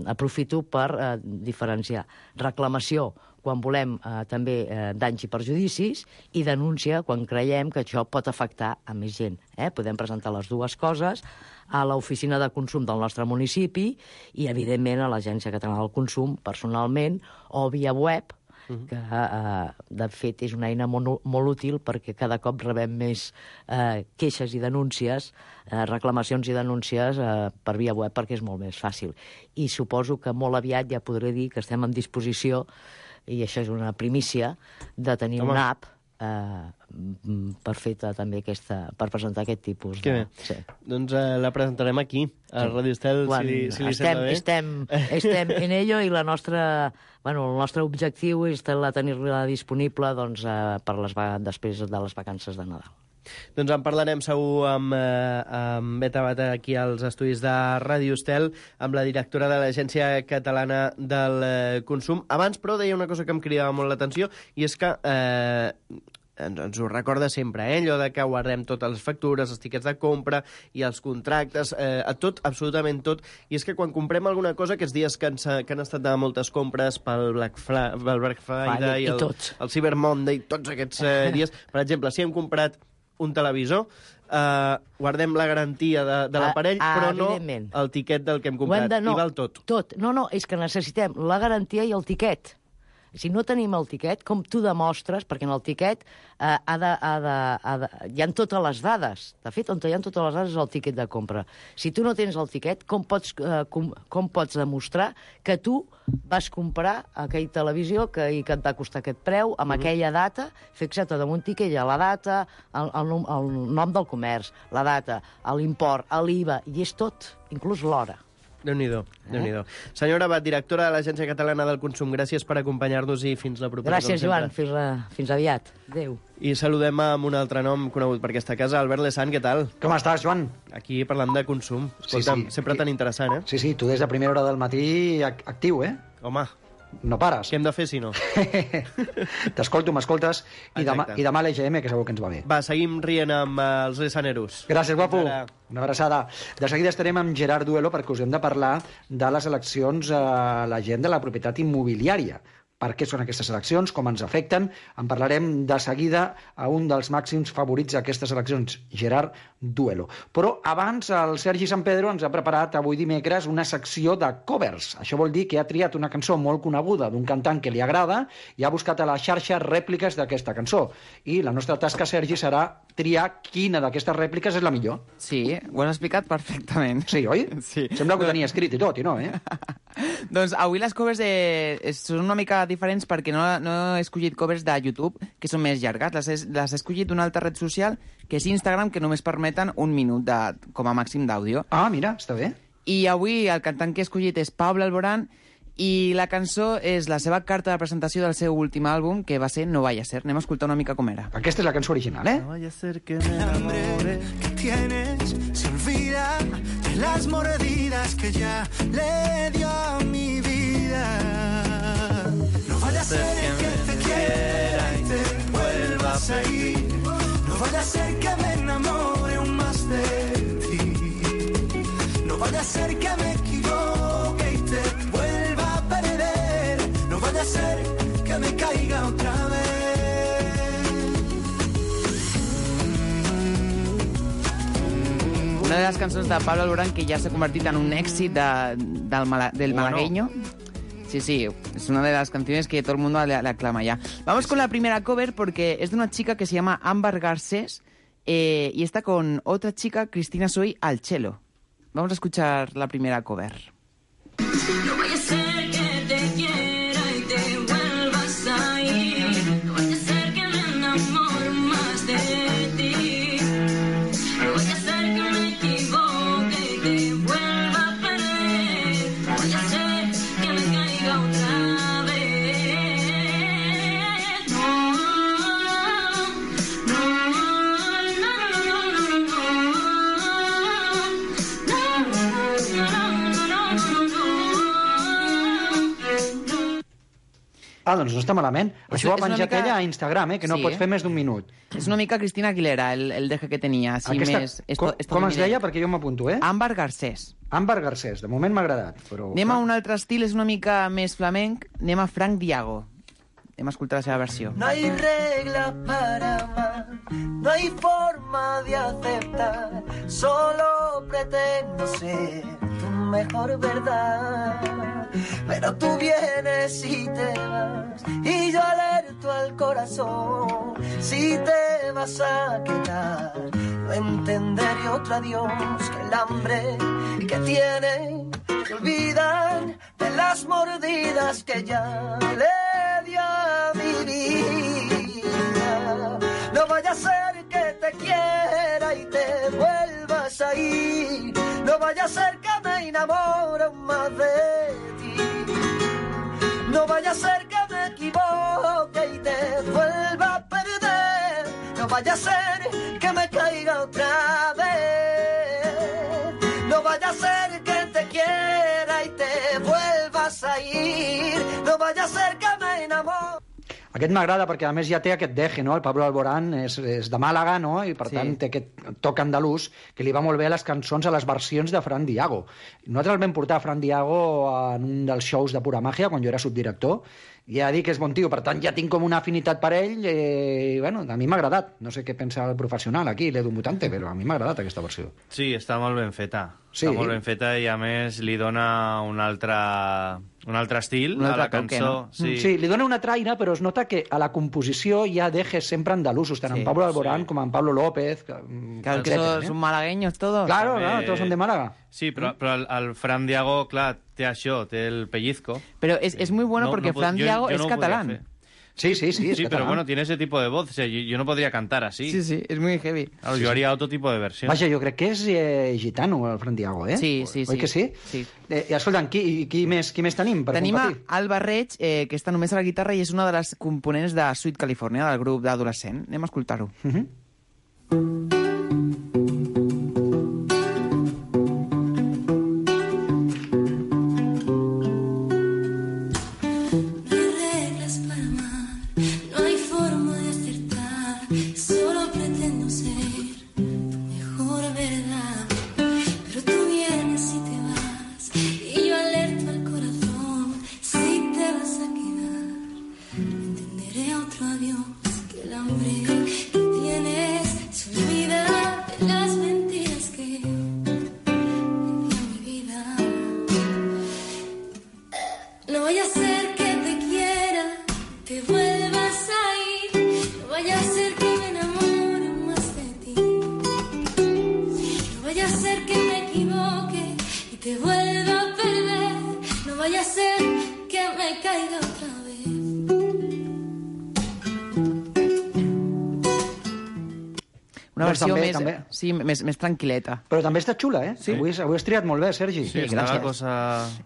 aprofito per eh, diferenciar. Reclamació quan volem eh, també eh, danys i perjudicis, i denúncia quan creiem que això pot afectar a més gent. Eh? Podem presentar les dues coses a l'oficina de consum del nostre municipi i, evidentment, a l'Agència Catalana del Consum, personalment, o via web, que, eh, de fet, és una eina molt, molt útil perquè cada cop rebem més eh, queixes i denúncies, eh, reclamacions i denúncies eh, per via web, perquè és molt més fàcil. I suposo que molt aviat ja podré dir que estem en disposició, i això és una primícia, de tenir Home. una app eh, per fer també aquesta, per presentar aquest tipus. Que de... bé. Sí. Doncs eh, la presentarem aquí, a Radio Estel, Quan si, si li estem, sembla bé. estem, estem en ello, i la nostra, bueno, el nostre objectiu és tenir-la disponible doncs, eh, per les, després de les vacances de Nadal. Doncs en parlarem segur amb, eh, amb Beta Bata aquí als estudis de Ràdio Estel, amb la directora de l'Agència Catalana del eh, Consum. Abans, però, deia una cosa que em cridava molt l'atenció, i és que eh, ens, ens ho recorda sempre, eh? Allò de que guardem totes les factures, els tiquets de compra i els contractes, eh, a tot, absolutament tot. I és que quan comprem alguna cosa, aquests dies que, ens, que han estat de moltes compres pel Black, Fla, pel Black Friday, i el, tots. el Cyber Monday, tots aquests eh, dies, per exemple, si hem comprat un televisor, eh, guardem la garantia de, de l'aparell, Ah, però no evidentment. el tiquet del que hem Ho hem comprat. de- no, I val tot. Tot. No, no, és que necessitem la garantia i el tiquet. Si no tenim el tiquet, com tu demostres, perquè en el tiquet eh, ha de, ha de, ha de, hi ha totes les dades. De fet, on hi ha totes les dades és el tiquet de compra. Si tu no tens el tiquet, com pots, eh, com, com pots demostrar que tu vas comprar aquella televisió que, i que et va costar aquest preu, amb Mhm. aquella data, fixa't damunt tiquet, hi ha la data, el, el, nom- el nom del comerç, la data, l'import, l'I V A, i és tot, inclús l'hora. Déu-n'hi-do, Déu-n'hi-do. Senyora Abad, directora de l'Agència Catalana del Consum, gràcies per acompanyar-nos i fins la propera. Gràcies, com Joan. sempre. Fins, la, fins aviat. Adéu. I saludem amb un altre nom conegut per aquesta casa, Albert Lesan, què tal? Com estàs, Joan? Aquí parlant de consum. Escolta'm, Sí, sí. sempre tan interessant, eh? Sí, sí, tu des de primera hora del matí ac- actiu, eh? Home. No pares. Què hem de fer, si no? T'escolto, m'escoltes, i demà, Exacte. i demà l'E G M, que segur que ens va bé. Va, seguim rient amb eh, els Lesaneros. Gràcies, guapo. Fins ara. Una abraçada. De seguida estarem amb Gerard Duelo perquè us hem de parlar de les eleccions a la gent de la propietat immobiliària. Per què són aquestes eleccions, com ens afecten. En parlarem de seguida a un dels màxims favorits d'aquestes eleccions, Gerard Duelo. Però abans el Sergi San Pedro ens ha preparat avui dimecres una secció de covers. Això vol dir que ha triat una cançó molt coneguda d'un cantant que li agrada i ha buscat a la xarxa rèpliques d'aquesta cançó. I la nostra tasca, Sergi, serà triar quina d'aquestes rèpliques és la millor. Sí, ho has explicat perfectament. Sí, oi? Sí. Sembla que ho tenia escrit i tot, i no, eh? Doncs avui les covers eh, són una mica diferents perquè no, no he escollit covers de YouTube, que són més llargues. Les he, les he escollit d'una altra red social, que és Instagram, que només permeten un minut de, com a màxim d'àudio. Ah, mira, està bé. I avui el cantant que he escollit és Pablo Alborán, i la cançó és la seva carta de presentació del seu últim àlbum, que va ser No vaya a ser. Anem a escoltar una mica com era. Aquesta és la cançó original, eh? No vaya a ser que me enamore. que tienes se olvida de las mordidas que ya le dio a mi vida. No vaya a ser que te quiera y te vuelvas a ir. No vaya a ser que me enamore aún más de ti. No vaya a ser que me equivoque y te vuelva a perder. No vaya a ser que me caiga otra vez. Una de les cançons de Pablo Alborán que ja s'ha convertit en un èxit de, del, mala, del Bueno. malagueño. Sí, sí, es una de las canciones que todo el mundo le, le aclama ya. Vamos con la primera cover porque es de una chica que se llama Ámbar Garcés eh, y está con otra chica, Cristina Soy, al cello. Vamos a escuchar la primera cover. No vaya a ser que te quiera y te vuelvas a ir. No vaya a ser que me enamore más de ti. No vaya a ser que me equivoque y te vuelva a perder. No vaya a ser que me caiga otra vez. No, no, no, no, no, no, Ah, doncs no està malament. És- Això ho ha és una penjat mica- ella a Instagram, eh, que no Sí. pots fer més d'un minut. És una mica Cristina Aguilera, el, el deje que tenia. Així Aquesta- més, com, esto, com es deia? Perquè jo m'apunto, eh? Àmbar Garcés. Àmbar Garcés. De moment m'ha agradat, però... Anem a un altre estil, és una mica més flamenc. Anem a Frank Diago. Anem a escoltar la seva versió. No hay regla para amar, no hay forma de aceptar, solo pretendo ser tu mejor verdad. Pero tú vienes y te vas, y yo alerto al corazón, si te vas a quedar, no entenderé otro adiós que el hambre que tiene. Se olvidan de las mordidas que ya le dio a mi vida. No vaya a ser que te quiera y te vuelvas a ir. No vaya a ser que me enamore más de ti. No vaya a ser que me equivoque y te vuelva a perder. No vaya a ser que me caiga otra vez. No vaya a ser que te quiera y te vuelvas a ir. No vaya a ser que me enamore. Aquest m'agrada perquè a més ja té aquest deje, no? El Pablo Alborán és, és de Màlaga, no? I per Sí. tant té aquest toc andalús que li va molt bé a les cançons, a les versions de Fran Diago. Nosaltres el vam portar a Fran Diago en un dels shows de Pura Màgia quan jo era subdirector. Ja dic que és bon tio, per tant ja tinc com una afinitat per ell eh, i bueno, a mi m'ha agradat. No sé què pensa el professional aquí, l'Edu Mutante, però a mi m'ha agradat aquesta versió. Sí, està molt ben feta. Sí. Està molt ben feta i, a més, li dona un altre, un altre estil Un a altre la toque, cançó. no? Sí. sí, li dona una traïna, però es nota que a la composició hi ha dejes sempre andalusos, tant Sí. en Pablo Alborán sí. com en Pablo López. Que, Que son, son malagueños todos. Claro, claro, todos son de Málaga. Sí, però, però el, el Fran Diago, clar, té això, té el pellizco. Pero es, es muy bueno No- porque no pod- Fran yo- Diago yo es no podría catalán. hacer. Sí, sí, sí, es Sí, pero catalán. bueno, tiene ese tipo de voz. O sea, yo, yo no podría cantar así. Sí, sí, es muy heavy. Claro, Sí, yo sí. haría otro tipo de versión. Vaja, jo crec que és eh, gitano, el Fran Diago, eh? Sí, sí, Oi sí. que sí? Sí. Eh, I escolta'm, qui, qui, més, qui més tenim per Tenim a competir? Alba Reig, eh, que està només a la guitarra i és una de les components de Sweet California, del grup d'adolescent. Anem a escoltar-ho. Uh -huh. No hay reglas para amar, no hay forma de acertar, solo pretendo ser tu mejor verdad. Pero tú vienes y te vas, y yo alerto al corazón, si te vas a quedar, entenderé otro adiós, que el hambre que tienes se olvida de las mentiras que yo le di a mi vida. No vaya a ser que te quiera, te vuelvas a ir. No vaya a ser que me enamore más de ti. No vaya a ser que me equivoque y te vuelva a perder. No vaya a ser que me caiga otra vez. Una Doncs versió també, més, també. sí, més, més tranquil·leta. Però també està xula, eh? Sí. Avui, avui has triat molt bé, Sergi. Sí, està la cosa...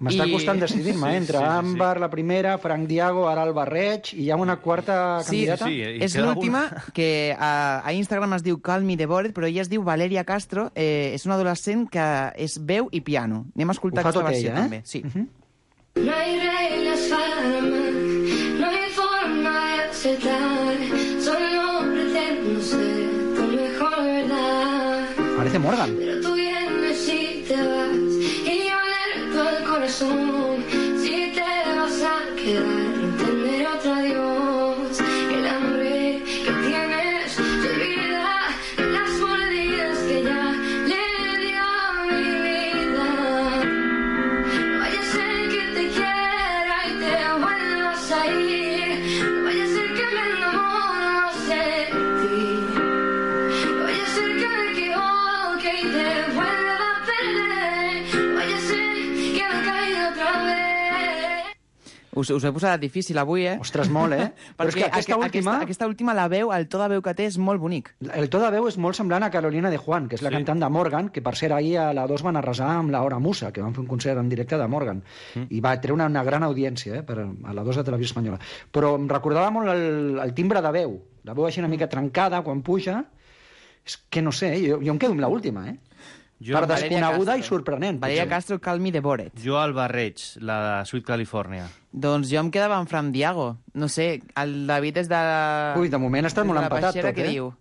M'està I- costant decidir-me, eh? Entre Sí, sí, sí, Àmbar, la primera, Frank Diago, ara Alba Reig, i hi ha una quarta Sí, candidata? és l'última, que a, a Instagram es diu Call Me The Bored, però ella es diu Valeria Castro, eh, és una adolescent que és veu i piano. Anem a escoltar Ho fa aquesta tot versió, ella, eh? també. Sí. No hay reglas para amar, no hay forma de aceptar, solo pretendo ser tu mejor verdad. Parece Morgan. Pero tú vienes y te vas, y yo alerto al corazón, si te vas a quedar, entenderé otro adiós, que el hambre que tienes se olvida de las mordidas que ya le dio a mi vida. No vaya a ser que te quiera y te vuelvas a ir. No vaya a ser que me enamore más de ti. No vaya a ser que me equivoque y te vuelva a perder. No vaya a ser que me caiga otra vez. Us, us he posat difícil avui, eh? Ostres, molt, eh? Però és que Perquè aquesta aque- última- Aquesta, aquesta última, la veu, el to de veu que té és molt bonic. El to de veu és molt semblant a Carolina de Juan, que és la Sí. cantant de Morgan, que per cert ahir a la dos van arrasar amb la Hora Musa, que van fer un concert en directe de Morgan. Mm. I va treure una, una gran audiència eh, per, a la dos de Televisió Espanyola. Però em recordava molt el, el timbre de veu. La veu així una mica trencada quan puja. És que no sé, jo, jo em quedo amb l'última, eh? Jo- per Valeria desconeguda Castro. i sorprenent. Valeria potser. Castro, Call Me The Bored. Jo al Barreig, la de Sweet California. Doncs jo em quedava amb Fran Diago. No sé, el David és de... La... Ui, de moment està des molt de la empatat Peixera, tot, què eh? diu?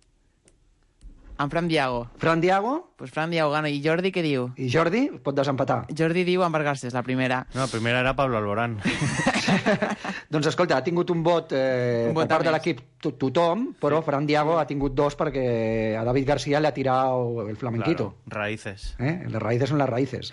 En Fran Diago. Fran Diago? Pues Fran Diago gana. I Jordi què diu? I Jordi pot desempatar. Jordi diu Amber Garces, la primera. No, la primera era Pablo Alborán. Doncs escolta, ha tingut un vot, eh, Un vot per part a de més. l'equip to tothom, però sí. Fran Diago ha tingut dos perquè a David García le ha tirado el flamenquito. Claro, raíces. ¿Eh? Las raíces son las raíces.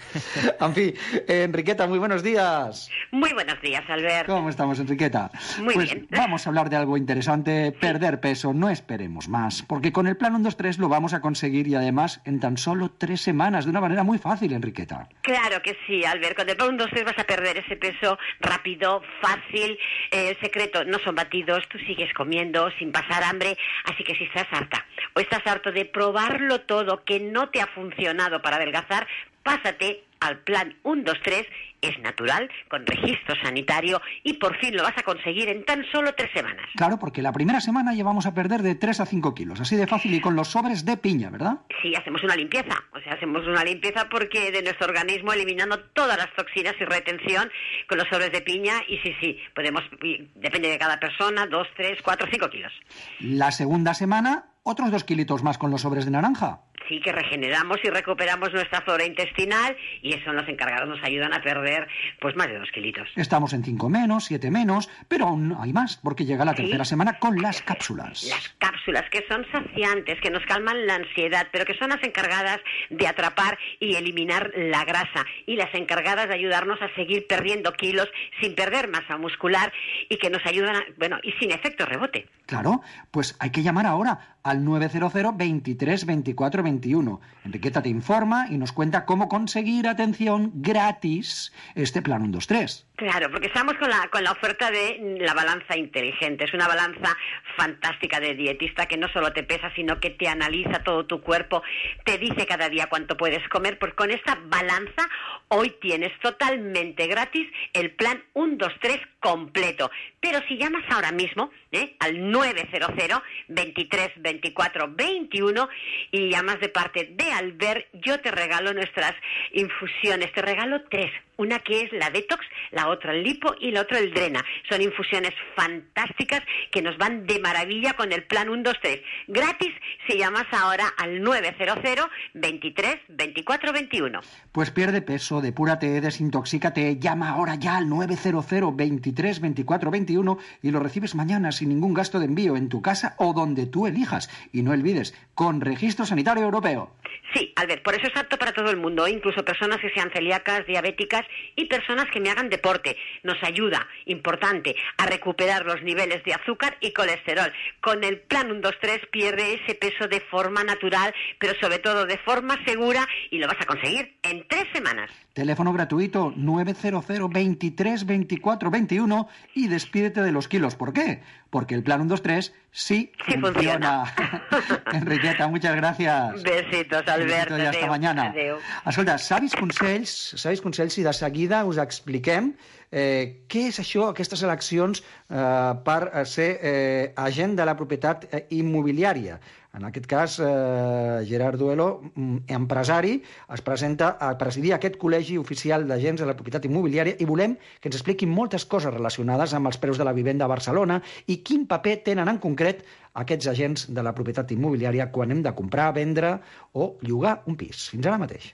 En fin, eh, Enriqueta, muy buenos días. Muy buenos días, Albert. ¿Cómo estamos, Enriqueta? Muy pues bien. Vamos a hablar de algo interesante, perder peso, no esperemos más, porque con el plan uno dos tres lo vamos a conseguir y además en tan solo tres semanas, de una manera muy fácil, Enriqueta. Claro que sí, Albert. Con el plan uno dos tres vas a perder ese peso rápido, fácil. Eh, el secreto no son batidos, tú sigues comiendo sin pasar hambre, así que si estás harta o estás harto de probarlo todo que no te ha funcionado para adelgazar, pásate al plan uno dos tres, es natural, con registro sanitario y por fin lo vas a conseguir en tan solo tres semanas. Claro, porque la primera semana ya vamos a perder de tres a cinco kilos, así de fácil y con los sobres de piña, ¿verdad? Sí, hacemos una limpieza, o sea, hacemos una limpieza porque de nuestro organismo eliminando todas las toxinas y retención con los sobres de piña y sí, sí, podemos, depende de cada persona, dos, tres, cuatro, cinco kilos. La segunda semana, otros dos kilitos más con los sobres de naranja. Sí, que regeneramos y recuperamos nuestra flora intestinal y eso los encargados nos ayudan a perder pues más de dos kilitos. Estamos en cinco menos, siete menos, pero aún hay más, porque llega la tercera ¿Sí? semana con las cápsulas. Las cápsulas que son saciantes, que nos calman la ansiedad, pero que son las encargadas de atrapar y eliminar la grasa y las encargadas de ayudarnos a seguir perdiendo kilos sin perder masa muscular y que nos ayudan, a, bueno, y sin efecto rebote. Claro, pues hay que llamar ahora al nueve cero cero, veintitrés, veinticuatro, veintiuno. Enriqueta te informa y nos cuenta cómo conseguir, atención, gratis este plan uno dos tres. Claro, porque estamos con la, con la oferta de la balanza inteligente. Es una balanza fantástica de dietista que no solo te pesa, sino que te analiza todo tu cuerpo, te dice cada día cuánto puedes comer. Pues con esta balanza hoy tienes totalmente gratis el plan uno dos tres completo. Pero si llamas ahora mismo ¿eh? al nueve cero cero, veintitrés, veinticuatro, veintiuno y llamas de parte de Albert, yo te regalo nuestras infusiones. Te regalo tres. Una que es la detox, la otra el lipo y la otra el drena. Son infusiones fantásticas que nos van de maravilla con el plan uno dos tres. Gratis si llamas ahora al nueve cero cero, veintitrés, veinticuatro, veintiuno. Pues pierde peso, depúrate, desintoxícate, llama ahora ya al nueve cero cero, veintitrés, veinticuatro, veintiuno y lo recibes mañana sin ningún gasto de envío en tu casa o donde tú elijas. Y no olvides, con registro sanitario europeo. Sí, Albert, por eso es apto para todo el mundo, incluso personas que sean celíacas, diabéticas y personas que me hagan deporte. Nos ayuda, importante, a recuperar los niveles de azúcar y colesterol. Con el plan uno dos tres pierde ese peso de forma natural, pero sobre todo de forma segura y lo vas a conseguir en tres semanas. Teléfono gratuito nueve cero cero, veintitrés, veinticuatro, veintiuno y despídete de los kilos. ¿Por qué? Porque el plan uno dos tres sí, sí funciona. funciona. Enriqueta, muchas gracias. Besitos, Albert. I hasta Adéu. mañana. Adéu. Escolta, savis consells, savis consells i de seguida us expliquem eh, què és això, aquestes eleccions eh, per ser eh, agent de la propietat eh, immobiliària. En aquest cas, eh, Gerard Duelo, empresari, es presenta a presidir aquest col·legi oficial d'agents de la propietat immobiliària i volem que ens expliqui moltes coses relacionades amb els preus de la vivenda a Barcelona i quin paper tenen en concret aquests agents de la propietat immobiliària quan hem de comprar, vendre o llogar un pis. Fins ara mateix.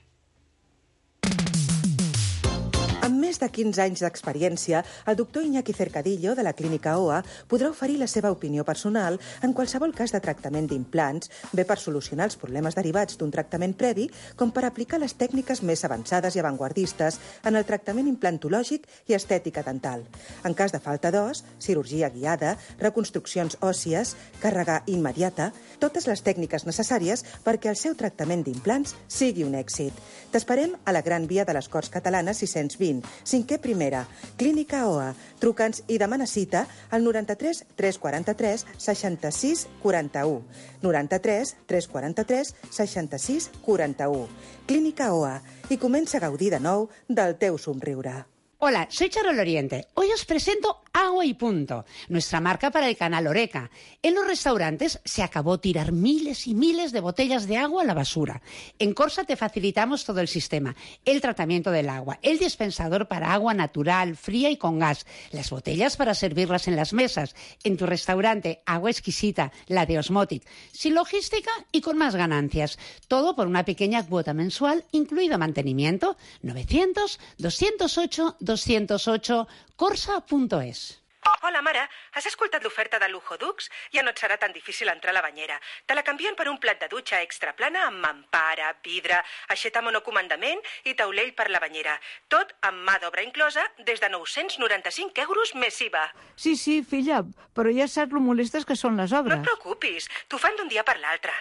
Amb més de quinze anys d'experiència, el doctor Iñaki Cercadillo, de la clínica O A, podrà oferir la seva opinió personal en qualsevol cas de tractament d'implants, bé per solucionar els problemes derivats d'un tractament previ, com per aplicar les tècniques més avançades i avantguardistes en el tractament implantològic i estètica dental. En cas de falta d'os, cirurgia guiada, reconstruccions òssies, càrrega immediata, totes les tècniques necessàries perquè el seu tractament d'implants sigui un èxit. T'esperem a la Gran Via de les Corts Catalanes sis-cents vint, cinquè primera, Clínica O A. Truca'ns i demana cita al noranta-tres tres quaranta-tres seixanta-sis quaranta-u. noranta-tres tres quaranta-tres seixanta-sis quaranta-u. Clínica O A. I comença a gaudir de nou del teu somriure. Hola, soy Charol Oriente. Hoy os presento Agua y Punto, nuestra marca para el canal Oreca. En los restaurantes se acabó tirar miles y miles de botellas de agua a la basura. En Corsa te facilitamos todo el sistema, el tratamiento del agua, el dispensador para agua natural, fría y con gas, las botellas para servirlas en las mesas, en tu restaurante, agua exquisita, la de Osmotic, sin logística y con más ganancias. Todo por una pequeña cuota mensual, incluido mantenimiento, novecientos, doscientos ocho, doscientos ocho, corsa punt es. Hola, mare, has escoltat l'oferta de Lujo Dux? Ja no et serà tan difícil entrar a la banyera. Te la canvien per un plat de dutxa extra plana amb mampara, vidre, aixeta monocomandament i taulell per la banyera. Tot amb mà d'obra inclosa des de nou-cents noranta-cinc euros més I V A. Sí, sí, filla, però ja saps lo molestes que són les obres. No et preocupis, t'ho fan d'un dia per l'altre.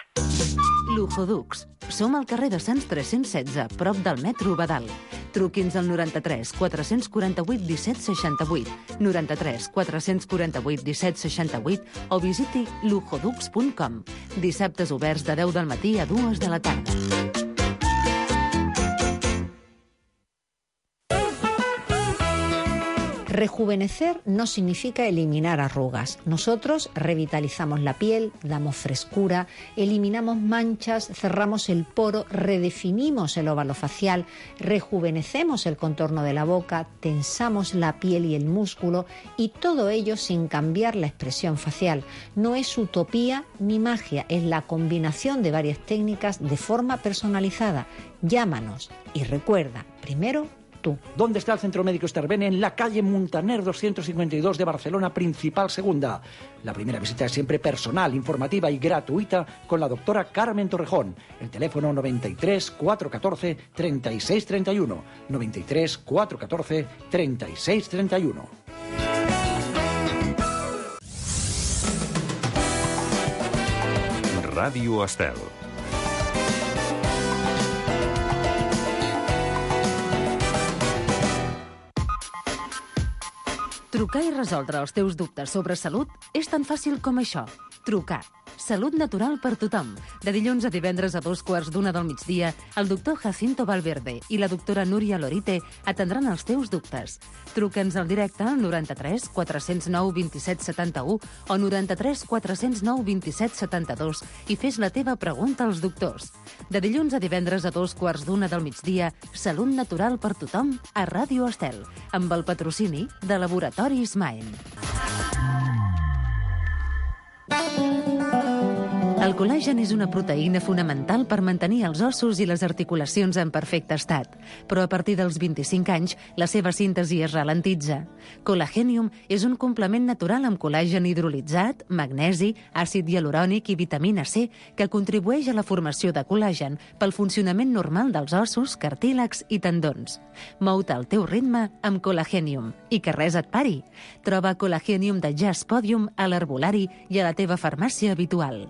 Lujo Dux. Som al carrer de Sants tres-cents setze, prop del metro Badal. Truqui'ns al noranta-tres quatre-cents quaranta-vuit disset seixanta-vuit, noranta-tres quatre-cents quaranta-vuit disset seixanta-vuit o visiti lujodux punt com. Dissabtes oberts de deu del matí a dues de la tarda. Rejuvenecer no significa eliminar arrugas. Nosotros revitalizamos la piel, damos frescura, eliminamos manchas, cerramos el poro, redefinimos el óvalo facial, rejuvenecemos el contorno de la boca, tensamos la piel y el músculo, y todo ello sin cambiar la expresión facial. No es utopía ni magia, es la combinación de varias técnicas de forma personalizada. Llámanos y recuerda, primero, tú. ¿Dónde está el Centro Médico Esterben? En la calle Muntaner doscientos cincuenta y dos de Barcelona, Principal Segunda. La primera visita es siempre personal, informativa y gratuita con la doctora Carmen Torrejón. El teléfono noventa y tres cuatrocientos catorce treinta y seis treinta y uno. noventa y tres cuatrocientos catorce treinta y seis treinta y uno. Ràdio Estel. Trucar i resoldre els teus dubtes sobre salut és tan fàcil com això. Trucar. Salut natural per tothom. De dilluns a divendres a dos quarts d'una del migdia, el doctor Jacinto Valverde i la doctora Núria Lorite atendran els teus dubtes. Truca'ns al directe al noranta-tres quatre-cents nou vint-i-set setanta-u o noranta-tres quatre-cents nou vint-i-set setanta-dos i fes la teva pregunta als doctors. De dilluns a divendres a dos quarts d'una del migdia, Salut natural per tothom a Ràdio Estel, amb el patrocini de Laboratoris Maen. El col·làgen és una proteïna fonamental per mantenir els ossos i les articulacions en perfecte estat, però a partir dels vint-i-cinc anys la seva síntesi es ralentitza. Colagenium és un complement natural amb col·làgen hidrolitzat, magnesi, àcid hialurònic i vitamina C que contribueix a la formació de col·làgen pel funcionament normal dels ossos, cartílags i tendons. Mou-te al teu ritme amb Colagenium i que res et pari. Troba Colagenium de Jazz Podium a l'herbolari i a la teva farmàcia habitual.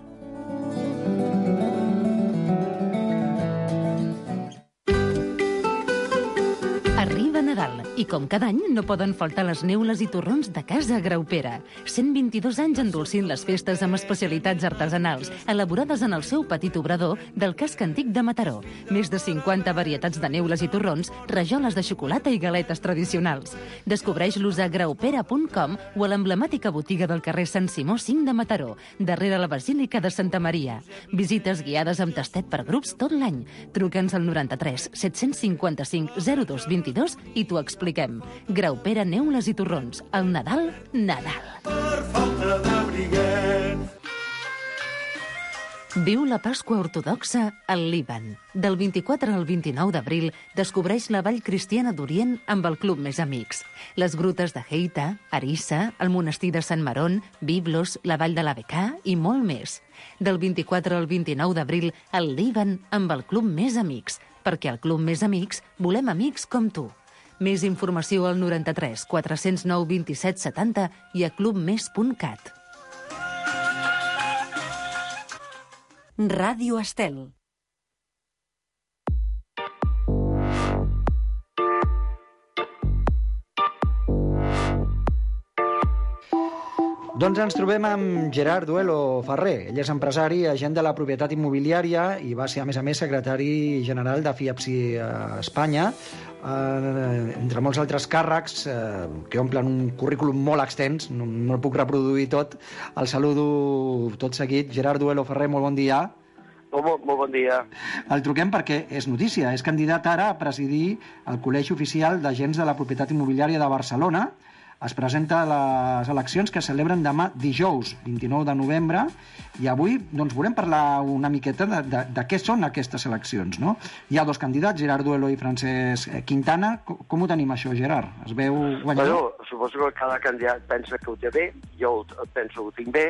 Arriba Nadal i com cada any no poden faltar les neules i torrons de Casa Graupera. cent vint-i-dos anys endolcint les festes amb especialitats artesanals, elaborades en el seu petit obrador del casc antic de Mataró. Més de cinquanta varietats de neules i torrons, rajoles de xocolata i galetes tradicionals. Descobreix-los a graupera punt com o a l'emblemàtica botiga del carrer Sant Simó cinc de Mataró, darrere la Basílica de Santa Maria. Visites guiades amb tastet per grups tot l'any. Truca'ns al noranta-tres set-cents cinquanta-cinc zero dos vint-i-dos i t'ho expliquem. Graupera, neules i torrons. El Nadal, Nadal. Per falta d'abriguet. Viu la Pasqua ortodoxa al Líban. Del vint-i-quatre al vint-i-nou d'abril descobreix la Vall Cristiana d'Orient amb el Club Més Amics. Les grutes de Heita, Arissa, el monestir de Sant Marón, Biblos, la Vall de la Becà i molt més. Del vint-i-quatre al vint-i-nou d'abril al Líban amb el Club Més Amics, perquè al Club Més Amics volem amics com tu. Més informació al noranta-tres quatre-cents nou vint-i-set setanta i a clubmes punt cat. Ràdio Estel. Doncs ens trobem amb Gerard Duelo Ferrer. Ell és empresari, agent de la propietat immobiliària i va ser, a més a més, secretari general de FIAPSI a Espanya, eh, entre molts altres càrrecs eh, que omplen un currículum molt extens, no, no el puc reproduir tot. El saludo tot seguit. Gerard Duelo Ferrer, molt bon dia. Molt, molt bon dia. El truquem perquè és notícia. És candidat ara a presidir el Col·legi Oficial d'Agents de la Propietat Immobiliària de Barcelona, es presenta a les eleccions que celebren demà dijous, vint-i-nou de novembre, i avui doncs, volem parlar una miqueta de, de, de què són aquestes eleccions, no? Hi ha dos candidats, Gerard Duelo i Francesc Quintana. Com, com ho tenim, això, Gerard? Es veu guanyador? Bueno, suposo que cada candidat pensa que ho té bé, jo penso que ho tinc bé,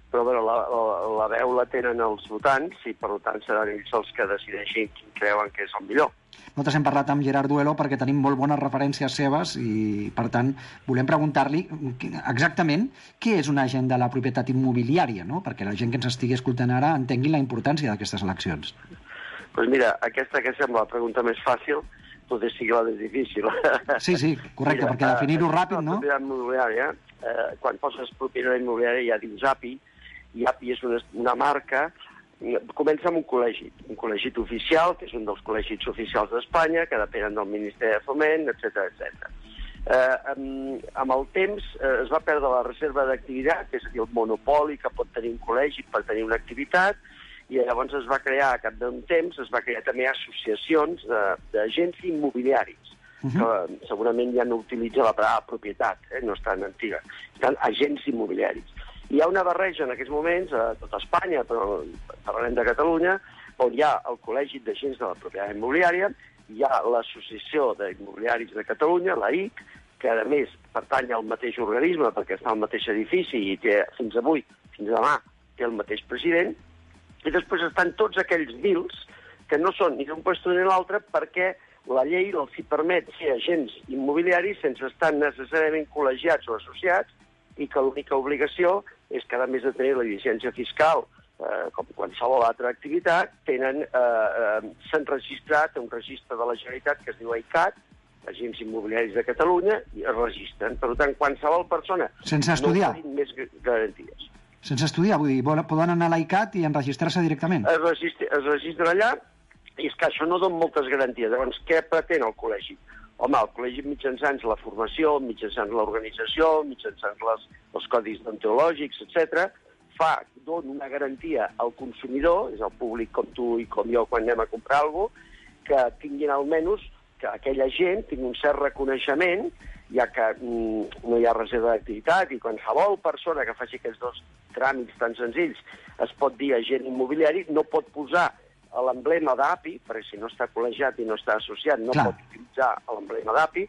però bueno, la, la, la veu la tenen els votants i per tant seran ells els que decideixin quin creuen que és el millor. Nosaltres hem parlat amb Gerard Duelo perquè tenim molt bones referències seves i, per tant, volem preguntar-li exactament què és un agent de la propietat immobiliària, no? Perquè la gent que ens estigui escoltant ara entengui la importància d'aquestes eleccions. Doncs pues mira, aquesta que sembla la pregunta més fàcil potser sigui la més difícil. Sí, sí, correcte, mira, perquè definir-ho ràpid, no? La propietat immobiliària, eh, quan poses propietat immobiliària ja dius A P I, i A P I és una, una marca. Comença amb un col·legi, un col·legi oficial, que és un dels col·legis oficials d'Espanya, que depenen del Ministeri de Foment, etcètera, etcètera. Eh, amb, amb el temps eh, es va perdre la reserva d'activitat, és a dir, el monopoli que pot tenir un col·legi per tenir una activitat, i llavors es va crear, a cap d'un temps, es va crear també associacions d'agents immobiliaris, uh-huh. que segurament ja no utilitza la paraula propietat, eh, no és tan antiga, estan agents immobiliaris. Hi ha una barreja en aquests moments a tota Espanya, però parlarem de Catalunya, on hi ha el Col·legi d'Agents de la Propietat Immobiliària, hi ha l'Associació d'Immobiliaris de Catalunya, la I C, que a més pertany al mateix organisme perquè està al mateix edifici i té fins avui, fins demà, té el mateix president, i després estan tots aquells dils que no són ni d'un lloc ni l'altre perquè la llei els hi permet ser agents immobiliaris sense estar necessàriament col·legiats o associats i que l'única obligació és que, a més de tenir la llicència fiscal, eh, com qualsevol altra activitat, tenen, eh, eh, s'han registrat a un registre de la Generalitat que es diu AICAT, Agents Immobiliaris de Catalunya, i es registren. Per tant, qualsevol persona sense estudiar. No tenim més garanties. Sense estudiar, vull dir, poden anar a l'AICAT i enregistrar-se directament. Es registra, es registra allà, i és que això no dona moltes garanties. Llavors, què pretén el col·legi? Home, el col·legi mitjançant la formació, mitjançant l'organització, mitjançant les, els codis deontològics, etcètera, fa, dona una garantia al consumidor, és el públic com tu i com jo quan anem a comprar alguna cosa, que tinguin almenys que aquella gent tingui un cert reconeixement, ja que mm, no hi ha reserva d'activitat i qualsevol persona que faci aquests dos tràmits tan senzills es pot dir agent immobiliari, no pot posar l'emblema d'A P I, perquè si no està col·legiat i no està associat, no Clar. pot utilitzar l'emblema d'A P I.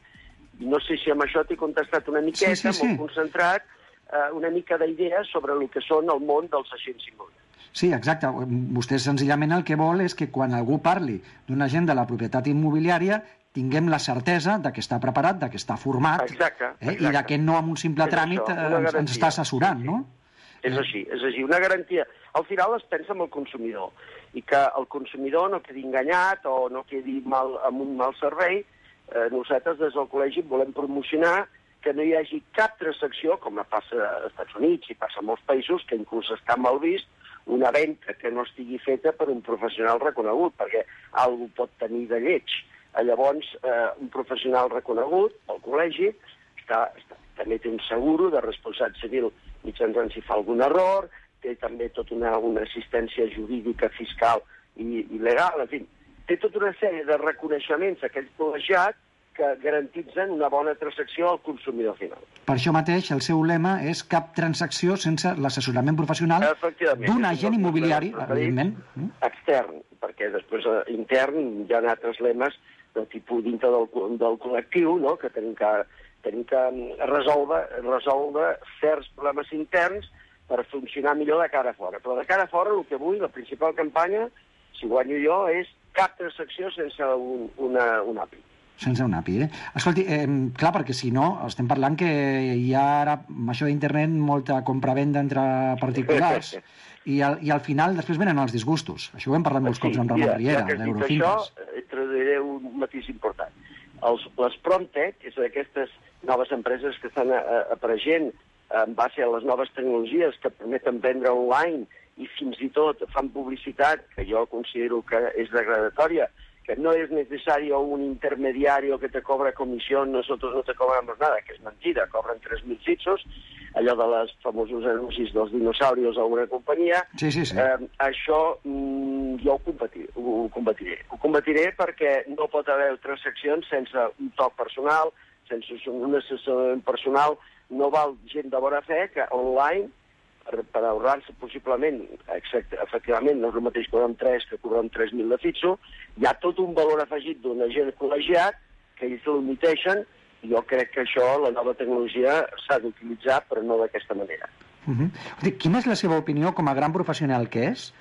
No sé si amb això t'he contestat una miqueta, sí, sí, sí. molt concentrat, eh, una mica d'idees sobre el que són el món dels agents immobiliaris. Sí, exacte. Vostè senzillament el que vol és que quan algú parli d'un agent de la propietat immobiliària tinguem la certesa de que està preparat, de que està format, exacte, exacte. Eh, i de que no amb un simple és tràmit això, ens, ens està assessorant, sí, sí. no? És així, és així, una garantia. Al final es pensa en el consumidor, i que el consumidor no quedi enganyat o no quedi mal, amb un mal servei. Eh, nosaltres des del col·legi volem promocionar que no hi hagi cap transacció, com passa als Estats Units i passa a molts països, que inclús està mal vist, una venda que no estigui feta per un professional reconegut, perquè algú pot tenir de lleig. Llavors, eh, un professional reconegut, el col·legi, està, està, també té un seguro de responsabilitat civil mitjançant si fa algun error, té també tota una, una assistència jurídica, fiscal i, i legal, en fi, té tota una sèrie de reconeixements a aquell col·legiat que garantitzen una bona transacció al consumidor final. Per això mateix, el seu lema és cap transacció sense l'assessorament professional d'un agent immobiliari, evidentment. Extern, perquè després eh, intern hi ha altres lemes de tipus dintre del, del col·lectiu, no?, que tenim que, tenim que resoldre, resoldre certs problemes interns per funcionar millor de cara a fora. Però de cara a fora, el que vull, la principal campanya, si guanyo jo, és cap transacció sense un, una, un A P I. Sense un A P I, eh? Escolti, eh, clar, perquè si no, estem parlant que hi ha ara, amb això d'internet, molta compravenda entre particulars, i al, i al final després venen els disgustos. Això ho hem parlat molts sí, cops amb Ramon ja, Riera, ja d'Eurofinques. Això, eh, traduiré un matís important. Els, les Promtech, que són aquestes noves empreses que estan a, a, apareixent en base a les noves tecnologies que permeten vendre online i fins i tot fan publicitat, que jo considero que és degradatòria, que no es necesario un intermediario que te cobra comisión, nosotros no te cobramos nada, que és mentida, cobren tres mil fitxos, allò de les famosos anuncis dels dinosaurios a una companyia. Sí, sí, sí. Eh, això mm, jo ho combatiré, ho combatiré. Ho combatiré perquè no pot haver transaccions sense un toc personal, sense un assessorament personal, no val gent de bona fe que online, per, per ahorrar-se possiblement, exacte, efectivament, no és el mateix cobrar amb tres que cobrar amb tres mil de fitxo, hi ha tot un valor afegit d'un agent col·legiat que ells l'omiteixen, i jo crec que això, la nova tecnologia, s'ha d'utilitzar, però no d'aquesta manera. Uh -huh. Quina és la seva opinió com a gran professional que és,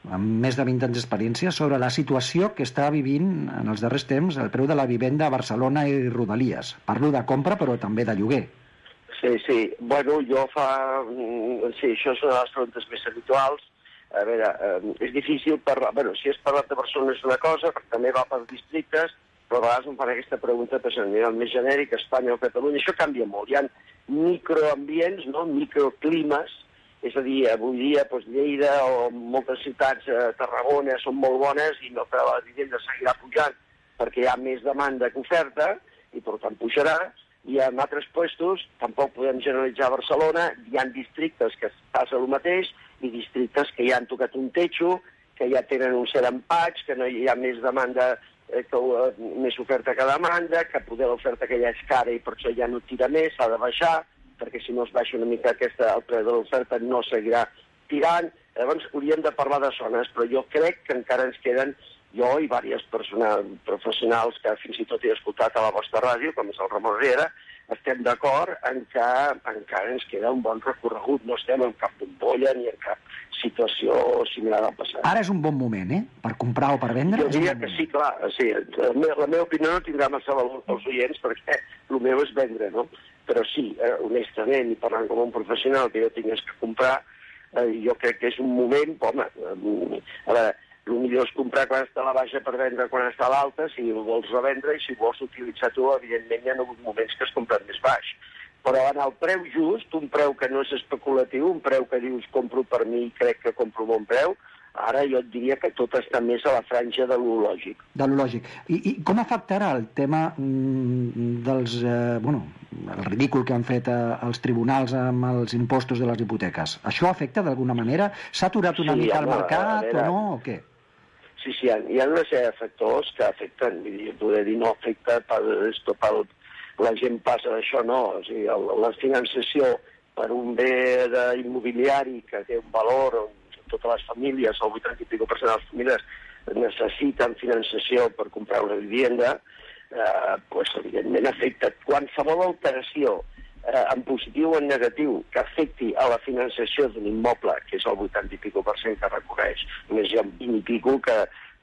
amb més de vint anys d'experiència, sobre la situació que està vivint en els darrers temps el preu de la vivenda a Barcelona i Rodalies? Parlo de compra, però també de lloguer. Sí, sí. Bueno, jo fa... Sí, això és una de les preguntes més habituals. A veure, eh, és difícil parlar... Bueno, si és parlat de Barcelona és una cosa, perquè també va per districtes, però a vegades em fan aquesta pregunta per a nivell més genèric, Espanya o Catalunya. Això canvia molt. Hi ha microambients, no? Microclimes. És a dir, avui dia doncs, Lleida o moltes ciutats, eh, Tarragona, són molt bones i el preu de la vivenda seguirà pujant perquè hi ha més demanda que oferta i per tant pujarà. I en altres puestos, tampoc podem generalitzar Barcelona, hi ha districtes que passa el mateix i districtes que ja han tocat un techo, que ja tenen un cert empatx, que no hi ha més demanda, eh, que, uh, més oferta que demanda, que poder l'oferta que ja és cara i per això ja no tira més, s'ha de baixar, perquè si no es baixa una mica aquesta, el preu de l'oferta no seguirà tirant. Llavors hauríem de parlar de zones, però jo crec que encara ens queden, jo i diversos professionals que fins i tot he escoltat a la vostra ràdio, com és el Ramon Riera, estem d'acord en que encara ens queda un bon recorregut. No estem en cap bombolla ni en cap situació similar al passat. Ara és un bon moment, eh? Per comprar o per vendre? Jo diria que sí, clar. Sí, la, meva, la meva opinió no tindrà massa valor pels oients perquè el meu és vendre, no? Però sí, eh, honestament, i parlant com un professional que jo tingués que comprar, eh, jo crec que és un moment, home, eh, a veure, el millor és comprar quan està a la baixa per vendre quan està a l'alta, si ho vols revendre, i si vols utilitzar tu, evidentment hi ha hagut moments que has comprat més baix. Però en el preu just, un preu que no és especulatiu, un preu que dius compro per mi i crec que compro bon preu, ara jo et diria que tot està més a la franja de lo lògic. De lo lògic. I, i com afectarà el tema mm, dels... Eh, bueno, el ridícul que han fet eh, els tribunals amb els impostos de les hipoteques? Això afecta d'alguna manera? S'ha aturat una Sí, mica home, el mercat a veure, o no, o què? Sí, sí, hi ha, hi ha una sèrie de factors que afecten, vull dir, poder dir no afecta per, esto, per, la gent passa d'això, no, o sigui, el, la finançació per un bé de immobiliari que té un valor on totes les famílies, el vuitanta i pico per cent de les famílies necessiten finançació per comprar una vivenda, eh, pues, evidentment afecta qualsevol alteració eh, en positiu o en negatiu que afecti a la finançació d'un immoble, que és el vuitanta i pico per cent que recorreix. Només hi ha un vint i pico que,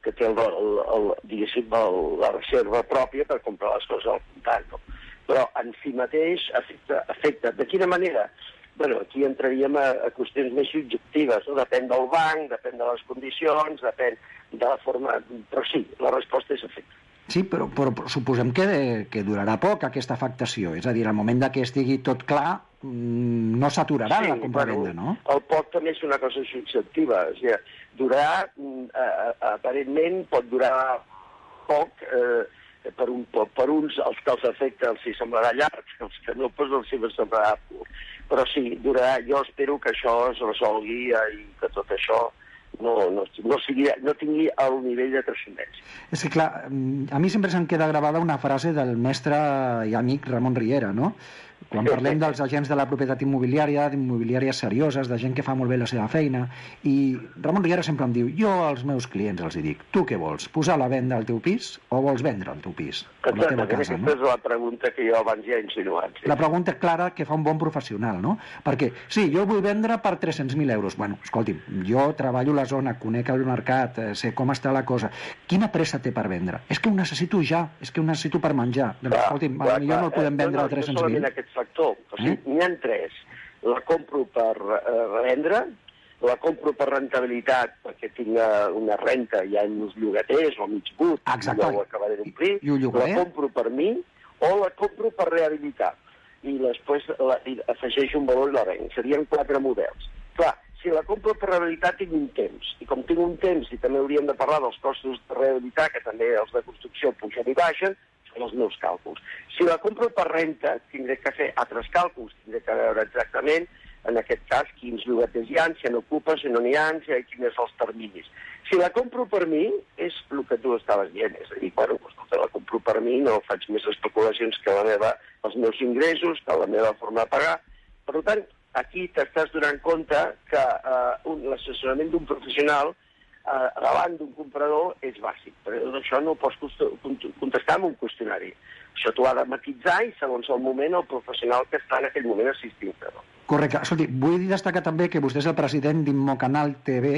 que té el, el, el, diguéssim, el, la reserva pròpia per comprar les coses al comptant. No? Però en si mateix afecta, afecta. De quina manera? Bueno, aquí entraríem a, a qüestions més subjectives, no? Depèn del banc, depèn de les condicions, depèn de la forma... Però sí, la resposta és efecte. Sí, però, però, però suposem que, que durarà poc aquesta afectació. És a dir, al moment que estigui tot clar, no s'aturarà sí, la compra-venda, bueno, no? El poc també és una cosa subjectiva. O sigui, durarà, eh, aparentment, pot durar poc, eh, per, un, per uns, els que els afecta els hi semblarà llarg, els que no, doncs els hi semblarà curt. Però sí, durarà, jo espero que això es resolgui i que tot això no, no, no, sigui, no tingui el nivell de transcendència. És que, clar, a mi sempre se'm queda gravada una frase del mestre i amic Ramon Riera, no? Quan parlem dels agents de la propietat immobiliària, d'immobiliàries serioses, de gent que fa molt bé la seva feina, i Ramon Riera sempre em diu, jo als meus clients els hi dic, tu què vols, posar a la venda el teu pis o vols vendre el teu pis? Exactament, aquesta no? és la pregunta que jo abans ja he insinuat. Sí. La pregunta clara que fa un bon professional, no? Perquè, sí, jo vull vendre per tres-cents mil euros. Bueno, escolti'm, jo treballo a la zona, conec el mercat, sé com està la cosa. Quina pressa té per vendre? És que ho necessito ja, és que ho necessito per menjar. Doncs, escolti'm, clar, potser no el podem vendre a tres-cents mil. No aquest factor, o sigui, eh? N'hi ha tres. La compro per eh, revendre, la compro per rentabilitat perquè tinc una renta ja en uns llogaters o mig but, exacte, no ho acabaré d'omplir, la compro per mi o la compro per rehabilitar i després la, i afegeixo un valor i la venc. Serien quatre models. Clar, si la compro per rehabilitar tinc un temps, i com tinc un temps i també hauríem de parlar dels costos de rehabilitar, que també els de construcció pugen i baixen, són els meus càlculs. Si la compro per renta, tindré que fer altres càlculs, tindré que veure exactament en aquest cas, quins llogaters hi ha, si n'ocupa, si no n'hi ha, si quins són els terminis. Si la compro per mi, és el que tu estaves dient, és a dir, bueno, doncs, la compro per mi, no faig més especulacions que la meva els meus ingressos, que la meva forma de pagar. Per tant, aquí t'estàs donant compte que eh, un, l'assessorament d'un professional eh, davant d'un comprador és bàsic. Però això no ho pots contestar amb un qüestionari. Això t'ho ha de matitzar i, segons el moment, el professional que està en aquell moment assistint-te. No? Correcte. Escolti, vull destacar també que vostè és el president d'Immocanal T V,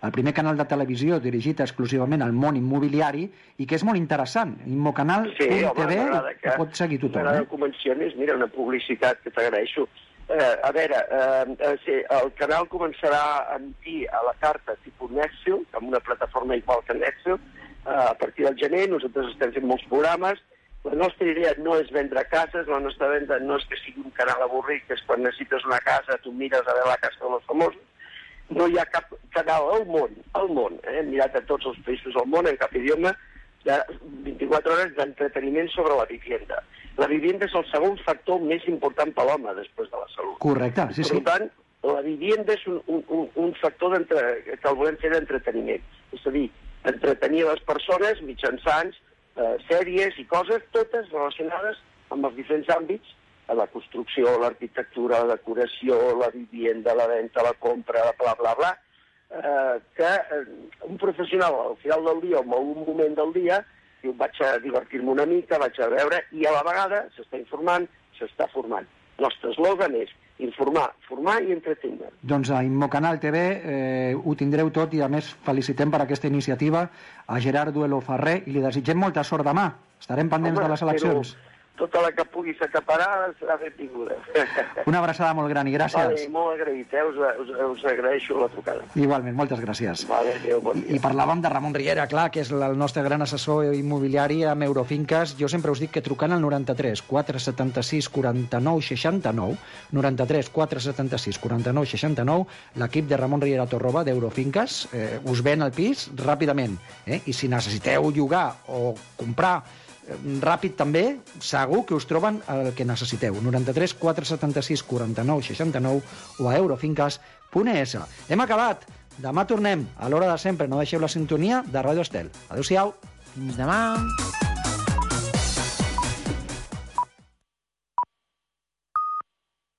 el primer canal de televisió dirigit exclusivament al món immobiliari i que és molt interessant. Immocanal T V, sí, que pot seguir tothom. M'agrada que ho mencionis. Mira, una publicitat que t'agraeixo. Eh, a veure, eh, sí, el canal començarà a emitir a la carta tipus Nexo, amb una plataforma igual que Nexo, eh, a partir del gener. Nosaltres estem fent molts programes. La nostra idea no és vendre cases, la nostra venda no és que sigui un canal avorrit, que és quan necessites una casa, tu mires a veure la casa dels famosos. No hi ha cap canal al món, al món, eh? Hem mirat a tots els països del món, en cap idioma, de vint-i-quatre hores d'entreteniment sobre la vivienda. La vivienda és el segon factor més important per l'home, després de la salut. Correcte, sí, sí. Per tant, la vivienda és un, un, un factor que el volem fer d'entreteniment. És a dir, entretenir les persones mitjançant Eh, sèries i coses, totes relacionades amb els diferents àmbits, la construcció, l'arquitectura, la decoració, la vivienda, la venda, la compra, bla, bla, bla, eh, que eh, un professional al final del dia o en algun moment del dia diu, vaig a divertir-me una mica, vaig a veure, i a la vegada s'està informant, s'està formant. El nostre eslògan és informar, formar i entretenir. Doncs a Immocanal T V eh, ho tindreu tot i a més felicitem per aquesta iniciativa a Gerard Duelo Ferrer i li desitgem molta sort demà. Estarem pendents Home, de les eleccions. Tota la que puguis acaparar serà benvinguda. Una abraçada molt gran i gràcies. Vale, molt agraït, eh? us, us, us agraeixo la trucada. Igualment, moltes gràcies. Vale, adéu, bon dia. I parlàvem de Ramon Riera, clar, que és el nostre gran assessor immobiliari amb Eurofinques. Jo sempre us dic que trucant al noranta-tres quatre setanta-sis quaranta-nou seixanta-nou, noranta-tres quatre setanta-sis quaranta-nou seixanta-nou, l'equip de Ramon Riera Torroba d'Eurofinques eh, us ven el pis ràpidament. Eh? I si necessiteu llogar o comprar ràpid també, segur que us troben el que necessiteu. noranta-tres quatre setanta-sis quaranta-nou seixanta-nou o a eurofinques punt es. Hem acabat. Demà tornem a l'hora de sempre. No deixeu la sintonia de Ràdio Estel. Adéu-siau. Fins demà.